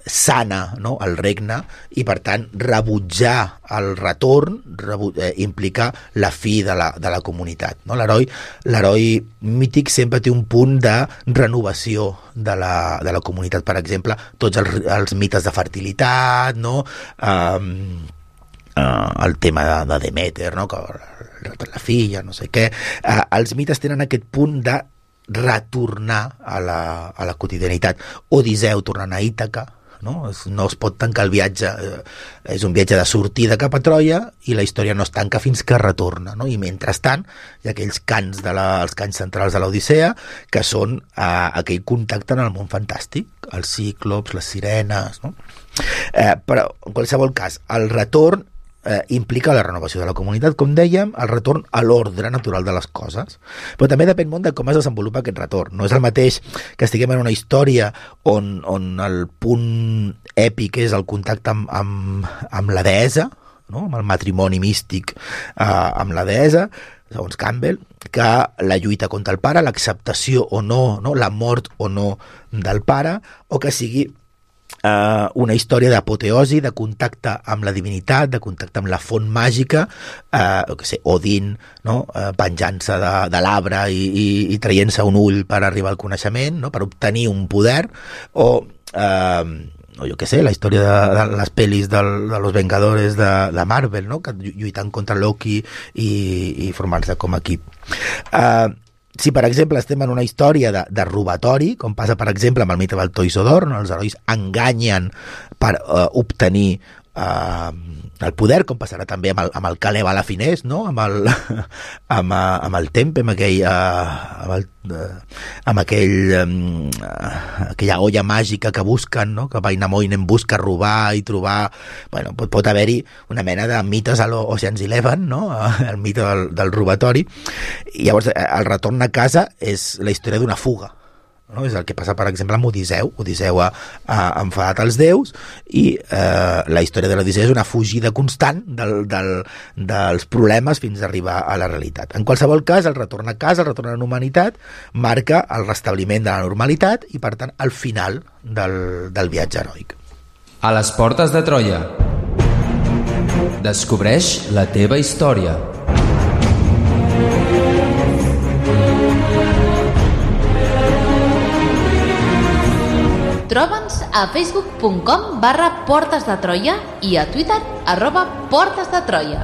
sana, no? El regne, i per tant rebutjar el retorn implica la fi de la comunitat. No? L'heroi mític sempre té un punt de renovació de la comunitat. Per exemple, tots els mites de fertilitat, no? El tema de Demeter, no? Que la filla, no sé què. Els mites tenen aquest punt de retornar a la quotidianitat. Odisseu tornant a Ítaca, no es pot tancar el viatge, és un viatge de sortida cap a Troia i la història no es tanca fins que retorna, no? I mentrestant hi ha aquells cants els cants centrals de l'Odissea, que són aquell contacte en el món fantàstic, els cíclops, les sirenes, no? Però en qualsevol cas el retorn implica la renovació de la comunitat, com dèiem, el retorn a l'ordre natural de les coses, però també depèn molt de com es desenvolupa aquest retorn. No és el mateix que estiguem en una història on el punt èpic és el contacte amb la deessa, no? Amb el matrimoni místic amb la deessa, segons Campbell, que la lluita contra el pare, l'acceptació o no, la mort o no del pare, o que sigui una història d'apoteosi, de contacte amb la divinitat, de contacte amb la font màgica, Odin, no? Venjança de l'arbre i traient-se un ull per arribar al coneixement, no? Per obtenir un poder, o jo què sé, la història de les pel·lis de los Vengadores de Marvel, no? Que lluitant contra Loki i formant-se com a equip. Si, per exemple, estem en una història de robatori, com passa, per exemple, amb el mite del Toisodor, on els herois enganyen per obtenir el poder, com passarà també amb el Caleb a la Finès, no? amb el Tempe, amb aquella olla màgica que busquen, no? Que Wainamoinen busca robar i trobar. Bueno, pot haver-hi una mena de mites a l'Ocean's 11, no? El mite del robatori. I llavors el retorn a casa és la història d'una fuga, no? És el que passa, per exemple, amb Odisseu. Odisseu ha enfadat els déus i la història de l'Odisseu és una fugida constant dels problemes fins a arribar a la realitat. En qualsevol cas, el retorn a casa, el retorn a la humanitat, marca el restabliment de la normalitat i, per tant, el final del viatge heroic. A les portes de Troia. Descobreix la teva història. Troba'ns a facebook.com/Portes de Troia i a Twitter @Portes de Troia.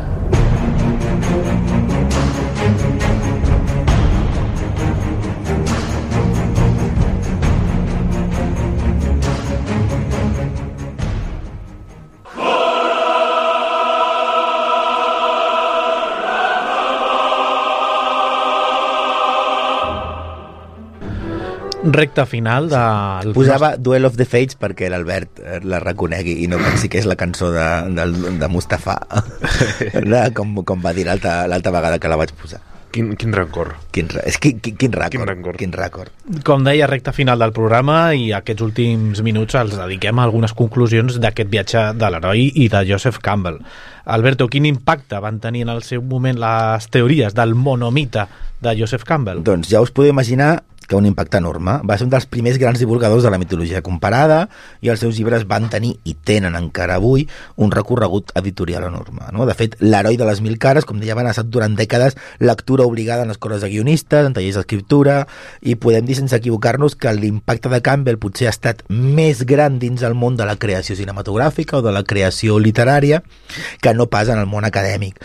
Recta final del... Posava Duel of the Fates perquè l'Albert la reconegui i no pensi que és la cançó de Mustafa com va dir l'altra vegada que la vaig posar. Quin rancor. Quin rècord. Com deia, recta final del programa, i aquests últims minuts els dediquem a algunes conclusions d'aquest viatge de l'heroi i de Joseph Campbell. Alberto, quin impacte van tenir en el seu moment les teories del monomite de Joseph Campbell? Doncs ja us podeu imaginar que un impacte enorme. Va ser un dels primers grans divulgadors de la mitologia comparada i els seus llibres van tenir, i tenen encara avui, un recorregut editorial enorme. No? De fet, l'heroi de les 1000 cares, com deia, ha estat durant dècades lectura obligada en escoles de guionistes, en tallers d'escriptura, i podem dir sense equivocar-nos que l'impacte de Campbell potser ha estat més gran dins el món de la creació cinematogràfica o de la creació literària que no pas en el món acadèmic.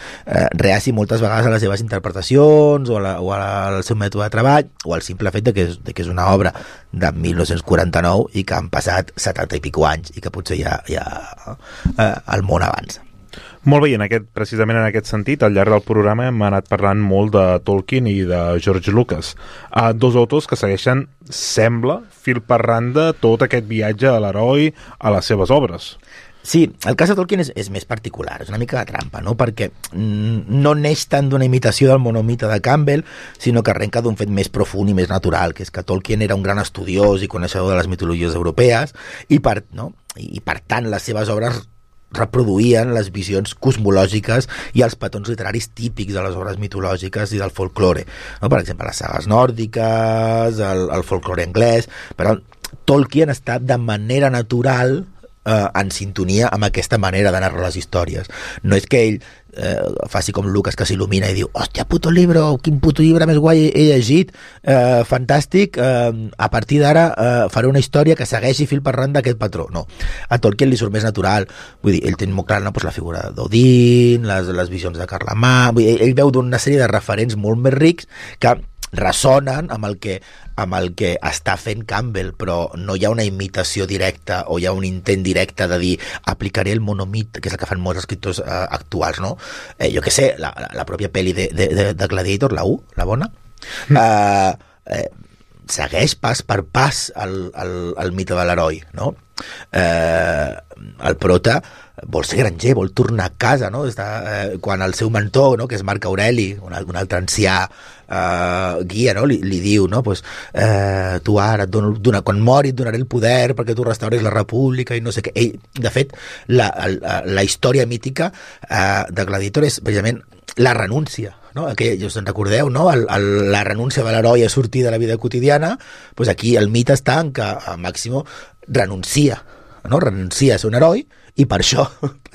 Reaci moltes vegades a les seves interpretacions o al seu mètode de treball o al simple fet que és una obra de 1949 i que han passat 70 i pico anys i que potser ja el món avança. Molt bé, i precisament en aquest sentit, al llarg del programa hem anat parlant molt de Tolkien i de George Lucas. Dos autors que segueixen, sembla, fil per randa tot aquest viatge a l'heroi a les seves obres. Sí, el cas de Tolkien és més particular, és una mica de trampa, no? Perquè no neix tant d'una imitació del monomite de Campbell, sinó que arrenca d'un fet més profund i més natural, que és que Tolkien era un gran estudiós i coneixedor de les mitologies europees i per tant les seves obres reproduïen les visions cosmològiques i els patrons literaris típics de les obres mitològiques i del folklore, no? Per exemple, les sagues nòrdiques, el folklore anglès, però Tolkien està de manera natural en sintonia amb aquesta manera de narrar les històries. No és que ell faci com Lucas, que s'il·lumina i diu, hòstia, puto llibre, quin puto llibre més guai he llegit, fantàstic, a partir d'ara faré una història que segueixi fil per randa aquest patró. No, a Tolkien li surt més natural, vull dir, ell té molt clar, no? Pues la figura d'Odin, les visions de Carlemà, vull dir, ell veu d'una sèrie de referents molt més rics que ressonen amb el que està fent Campbell, però no hi ha una imitació directa o hi ha un intent directe de dir aplicaré el monomit, que és el que fan molts escriptors actuals, no? Jo què sé, la pròpia pel·li de Gladiator, la 1, la bona, segueix pas per pas el mite de l'heroi, no? El prota vol ser granger, vol tornar a casa, no? Quan el seu mentor, no? Que és Marc Aureli, un altre ancià guia, no? li diu, no? Pues, tu ara quan mori et donaré el poder perquè tu restauris la república i no sé què. Ell, de fet, la història mítica de Gladiator és precisament la renúncia, no? Ja us en recordeu, no? La renúncia de l'heroi a sortir de la vida quotidiana, pues aquí el mite està en que Máximo renuncia, no? Renuncia a ser un heroi i per això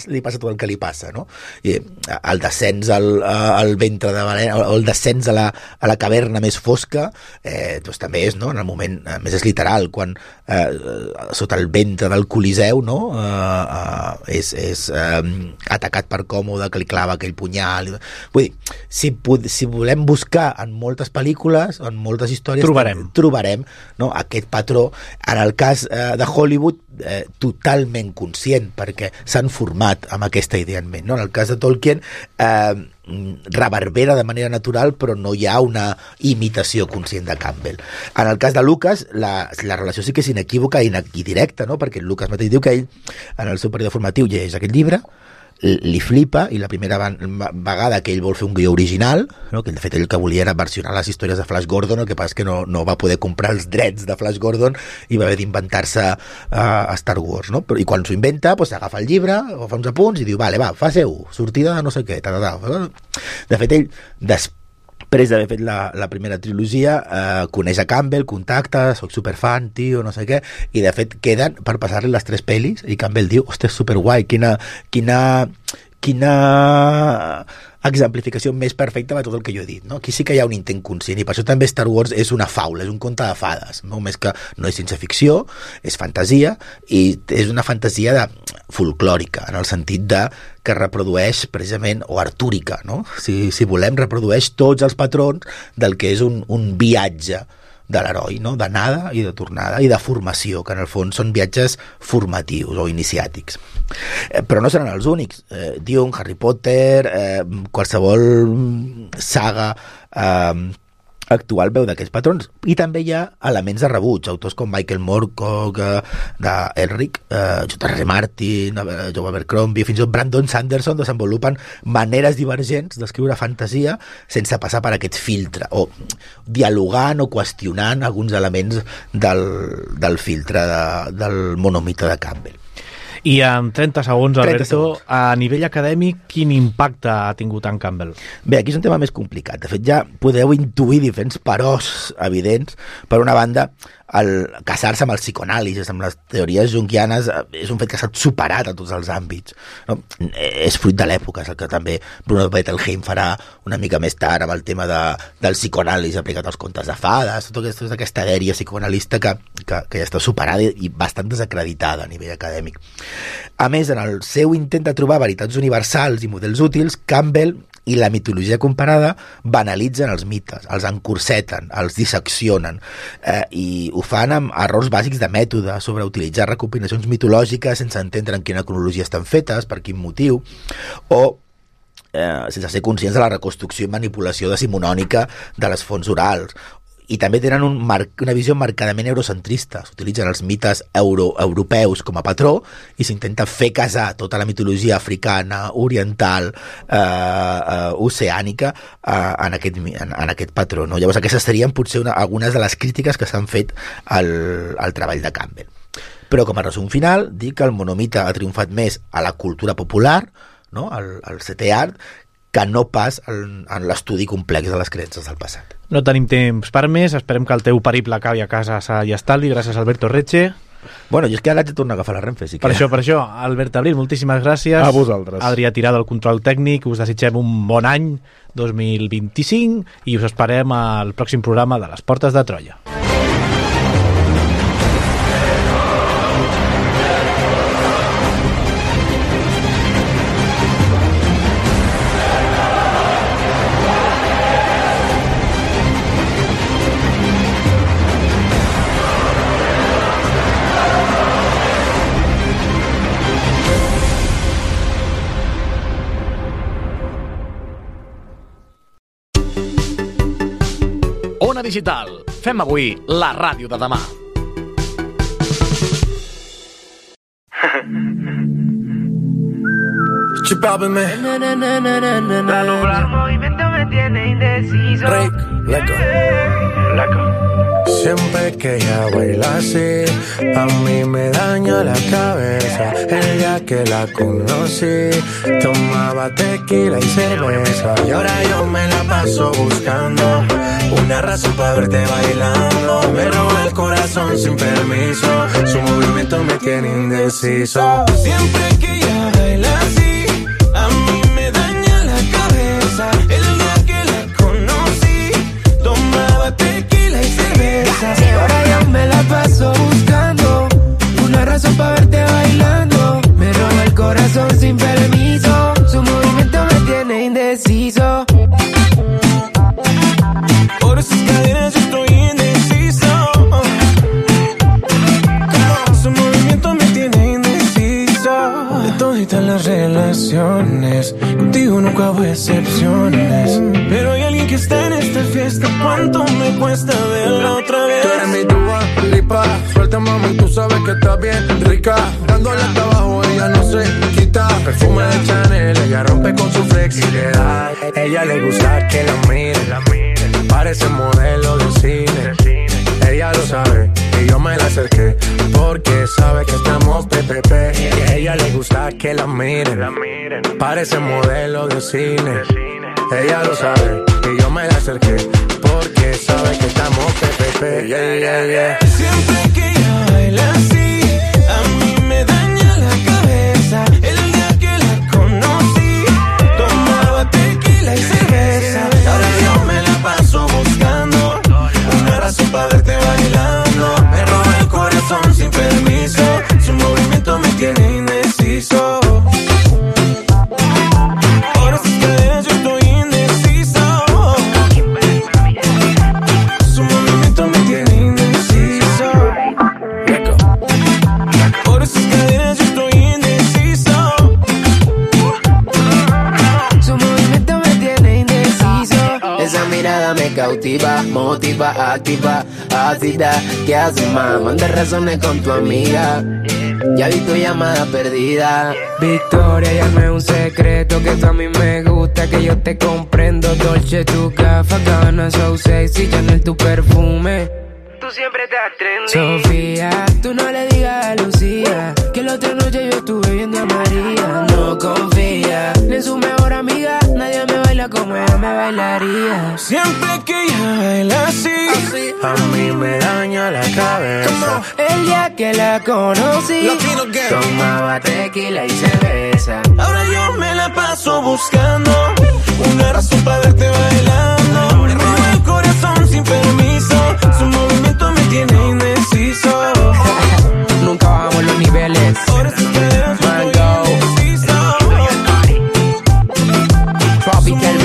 li passa tot el que li passa, no? I el descens al ventre de València, o el descens a la caverna més fosca, doncs també és, no? En el moment més és literal, quan sota el ventre del Coliseu, no? És atacat per Còmode, que li clava aquell punyal. Vull dir, si volem buscar en moltes pel·lícules, en moltes històries, trobarem, no? Aquest patró. En el cas de Hollywood, totalment conscient, perquè s'han format amb aquesta idea en ment, no? En el cas de Tolkien reverbera de manera natural, però no hi ha una imitació conscient de Campbell. En el cas de Lucas, la relació sí que és inequívoca i directa, no? Perquè Lucas mateix diu que ell, en el seu període formatiu, llegeix aquest llibre, li flipa, i la primera vegada que ell vol fer un guió original, no? Que de fet ell que volia era versionar les històries de Flash Gordon, el que passa és que no va poder comprar els drets de Flash Gordon i va haver d'inventar-se a Star Wars, no? I quan s'ho inventa, pues, agafa el llibre, fa uns apunts i diu, vale, va, fase 1, sortida de no sé què, De fet, ell, després d'haver fet la primera trilogia, coneix a Campbell, contacta, soc superfan, tio, no sé què, i de fet queden per passar-li les 3 pel·lis, i Campbell diu, hòstia, és superguai, quina exemplificació més perfecta de tot el que jo he dit, no? Aquí sí que hi ha un intent conscient, i per això també Star Wars és una faula, és un conte de fades, no? Més que no és ciència ficció, és fantasia, i és una fantasia folclòrica, en el sentit que reprodueix precisament, o artúrica, no? Si volem, reprodueix tots els patrons del que és un viatge de l'heroi, no? D'anada i de tornada i de formació, que en el fons són viatges formatius o iniciàtics. Però no seran els únics. Dune, Harry Potter, qualsevol saga actual veu d'aquests patrons, i també hi ha elements de rebuig, autors com Michael Moorcock, d'Elric, J.R.R. Martin, Joe Abercrombie, fins i tot Brandon Sanderson desenvolupen maneres divergents d'escriure fantasia sense passar per aquest filtre, o dialogant o qüestionant alguns elements del filtre del monomite de Campbell. I en 30 segons, Alberto, a nivell acadèmic, quin impacte ha tingut en Campbell? Bé, aquí és un tema més complicat. De fet, ja podeu intuir diferents peròs evidents. Per una banda, el casar-se amb el psicoanàlisis, amb les teories junguianes, és un fet que s'ha superat a tots els àmbits, no? És fruit de l'època, és el que també Bruno Bettelheim farà una mica més tard amb el tema del psicoanàlisis aplicat als contes de fades, tota aquesta dèria psicoanalista que ja està superada i bastant desacreditada a nivell acadèmic. A més, en el seu intent de trobar veritats universals i models útils, Campbell I la mitologia comparada banalitzen els mites, els encorseten, els disseccionen, i ho fan amb errors bàsics de mètode, sobre utilitzar recopilacions mitològiques sense entendre en quina cronologia estan fetes, per quin motiu, o sense ser conscients de la reconstrucció i manipulació decimonònica de les fonts orals. I també tenen una visió marcadament eurocentrista. S'utilitzen els mites europeus com a patró i s'intenta fer casar tota la mitologia africana, oriental, oceànica en aquest patró. No? Llavors aquestes serien potser algunes de les crítiques que s'han fet al treball de Campbell. Però com a resum final, dic que el monomite ha triomfat més a la cultura popular, no? al setè art, que no pas en l'estudi complex de les creences del passat. No tenim temps per més, esperem que el teu periple acabi a casa sa i estalvi. Gràcies, Alberto Retxe. Bueno, jo és que ara haig de tornar a agafar la Renfe. Sí que... Per això, Albert Abril, moltíssimes gràcies. A vosaltres. Adrià Tirado, el control tècnic, us desitgem un bon any 2025 i us esperem al pròxim programa de Les Portes de Troia. Ona Digital. Fem avui la ràdio de demà. Chupábeme. La nublar movimiento me tiene indeciso. Siempre que ella baila así, a mí me daña la cabeza. El día que la conocí, tomaba tequila y cerveza. Y ahora yo me la paso buscando una razón para verte bailando. Me roba el corazón sin permiso, su movimiento me tiene indeciso. Siempre que ella baila así, a mí me daña la cabeza. El día que la conocí, tomaba tequila y cerveza. Y ahora yo me la paso buscando una razón para verte bailando. Me roba el corazón sin permiso, su movimiento me tiene indeciso. Por esas cadenas yo estoy indeciso. Su movimiento me tiene indeciso. De toditas las relaciones, contigo nunca hubo excepciones. Pero hay alguien que está en esta fiesta. ¿Cuánto me cuesta verla otra vez? Tú eres mi Dua Lipa, suelta mami, tú sabes que estás bien rica. Dándole hasta abajo, ella no se quita. Perfume de Chanel, ella rompe con su flexibilidad. Ella le gusta que la miren, parece modelo de cine. Ella lo sabe y yo me la acerqué porque sabe que estamos PPP. Ella le gusta que la miren, parece modelo de cine. Ella lo sabe y yo me la acerqué porque sabe que estamos PPP. Siempre que ella baila así, a mí me daña la cabeza. El día que la conocí, tomaba tequila y cerveza. Ahora yo me la paso buscando una razón para verte bailando. Me roba el corazón sin permiso, su movimiento me tiene indeciso. Por esas cadenas yo estoy indeciso. Su movimiento me tiene indeciso. Por esas cadenas yo estoy indeciso. Su movimiento me tiene indeciso. Esa mirada me cautiva, motiva, activa, ácida. ¿Qué haces, más? Manda razones con tu amiga. Ya vi tu llamada perdida. Victoria, ya no es un secreto que tú a mí me gusta, que yo te comprendo. Dolce, tu café, Gabbana, so sexy, Chanel, tu perfume. Tú siempre estás trendy. Sofía, tú no le digas a Lucía que la otra noche yo estuve viendo a María. No confía ni en su mejor amiga, nadie me baila como ella me bailaría. Siempre que ella baila así, a mí me daña la cabeza. El día que la conocí, tomaba tequila y cerveza. Ahora yo me la paso buscando una razón para verte bailando. Me roba el corazón sin permiso, su movimiento me tiene indeciso. Nunca bajamos los niveles. Mango Tropical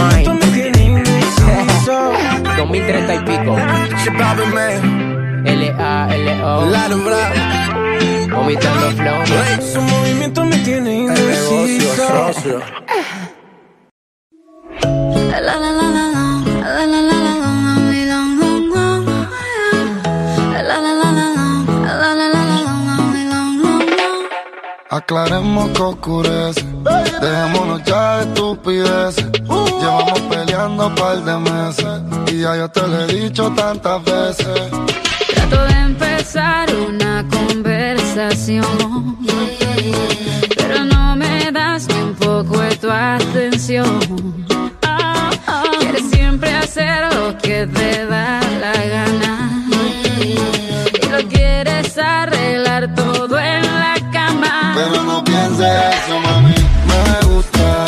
2030 y pico. L-A-L-O. Vomitando flow. Su movimiento me tiene indeciso. Aclaremos que oscurece, dejémonos ya de estupideces. Llevamos peleando un par de meses y ya yo te lo he dicho tantas veces. Trato de empezar una conversación, pero no me das ni un poco de tu atención. Quieres siempre hacer lo que te da la gana y lo quieres arreglar todo en la cama. Pero no pienses eso, mami, me gusta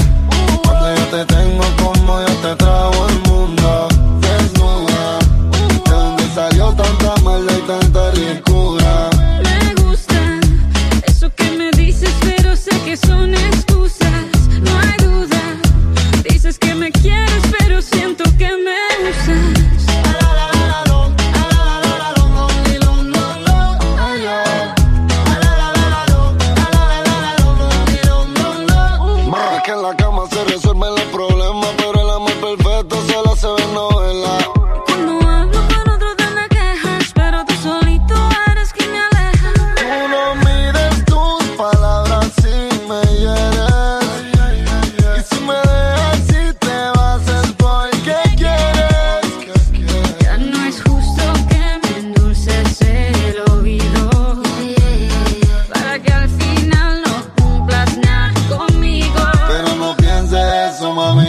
cuando yo te tengo como yo te trago el mundo. Desnuda, de donde salió tanta maldad y tanta ricura. Me gusta eso que me dices, pero sé que son excusas. No hay duda, dices que me quieres, pero siento que me usas. Que en la cama se resuelven los problemas, pero el amor perfecto solo se ve en novela. Cuando hablo con otro te me quejas, pero tú solito eres quien me aleja. Tú no mides tus palabras si me hieres, y si me dejas si te vas es porque quieres. Ya no es justo que me endulces el oído, para que al final no cumplas nada conmigo. Pero no pienses eso, mami.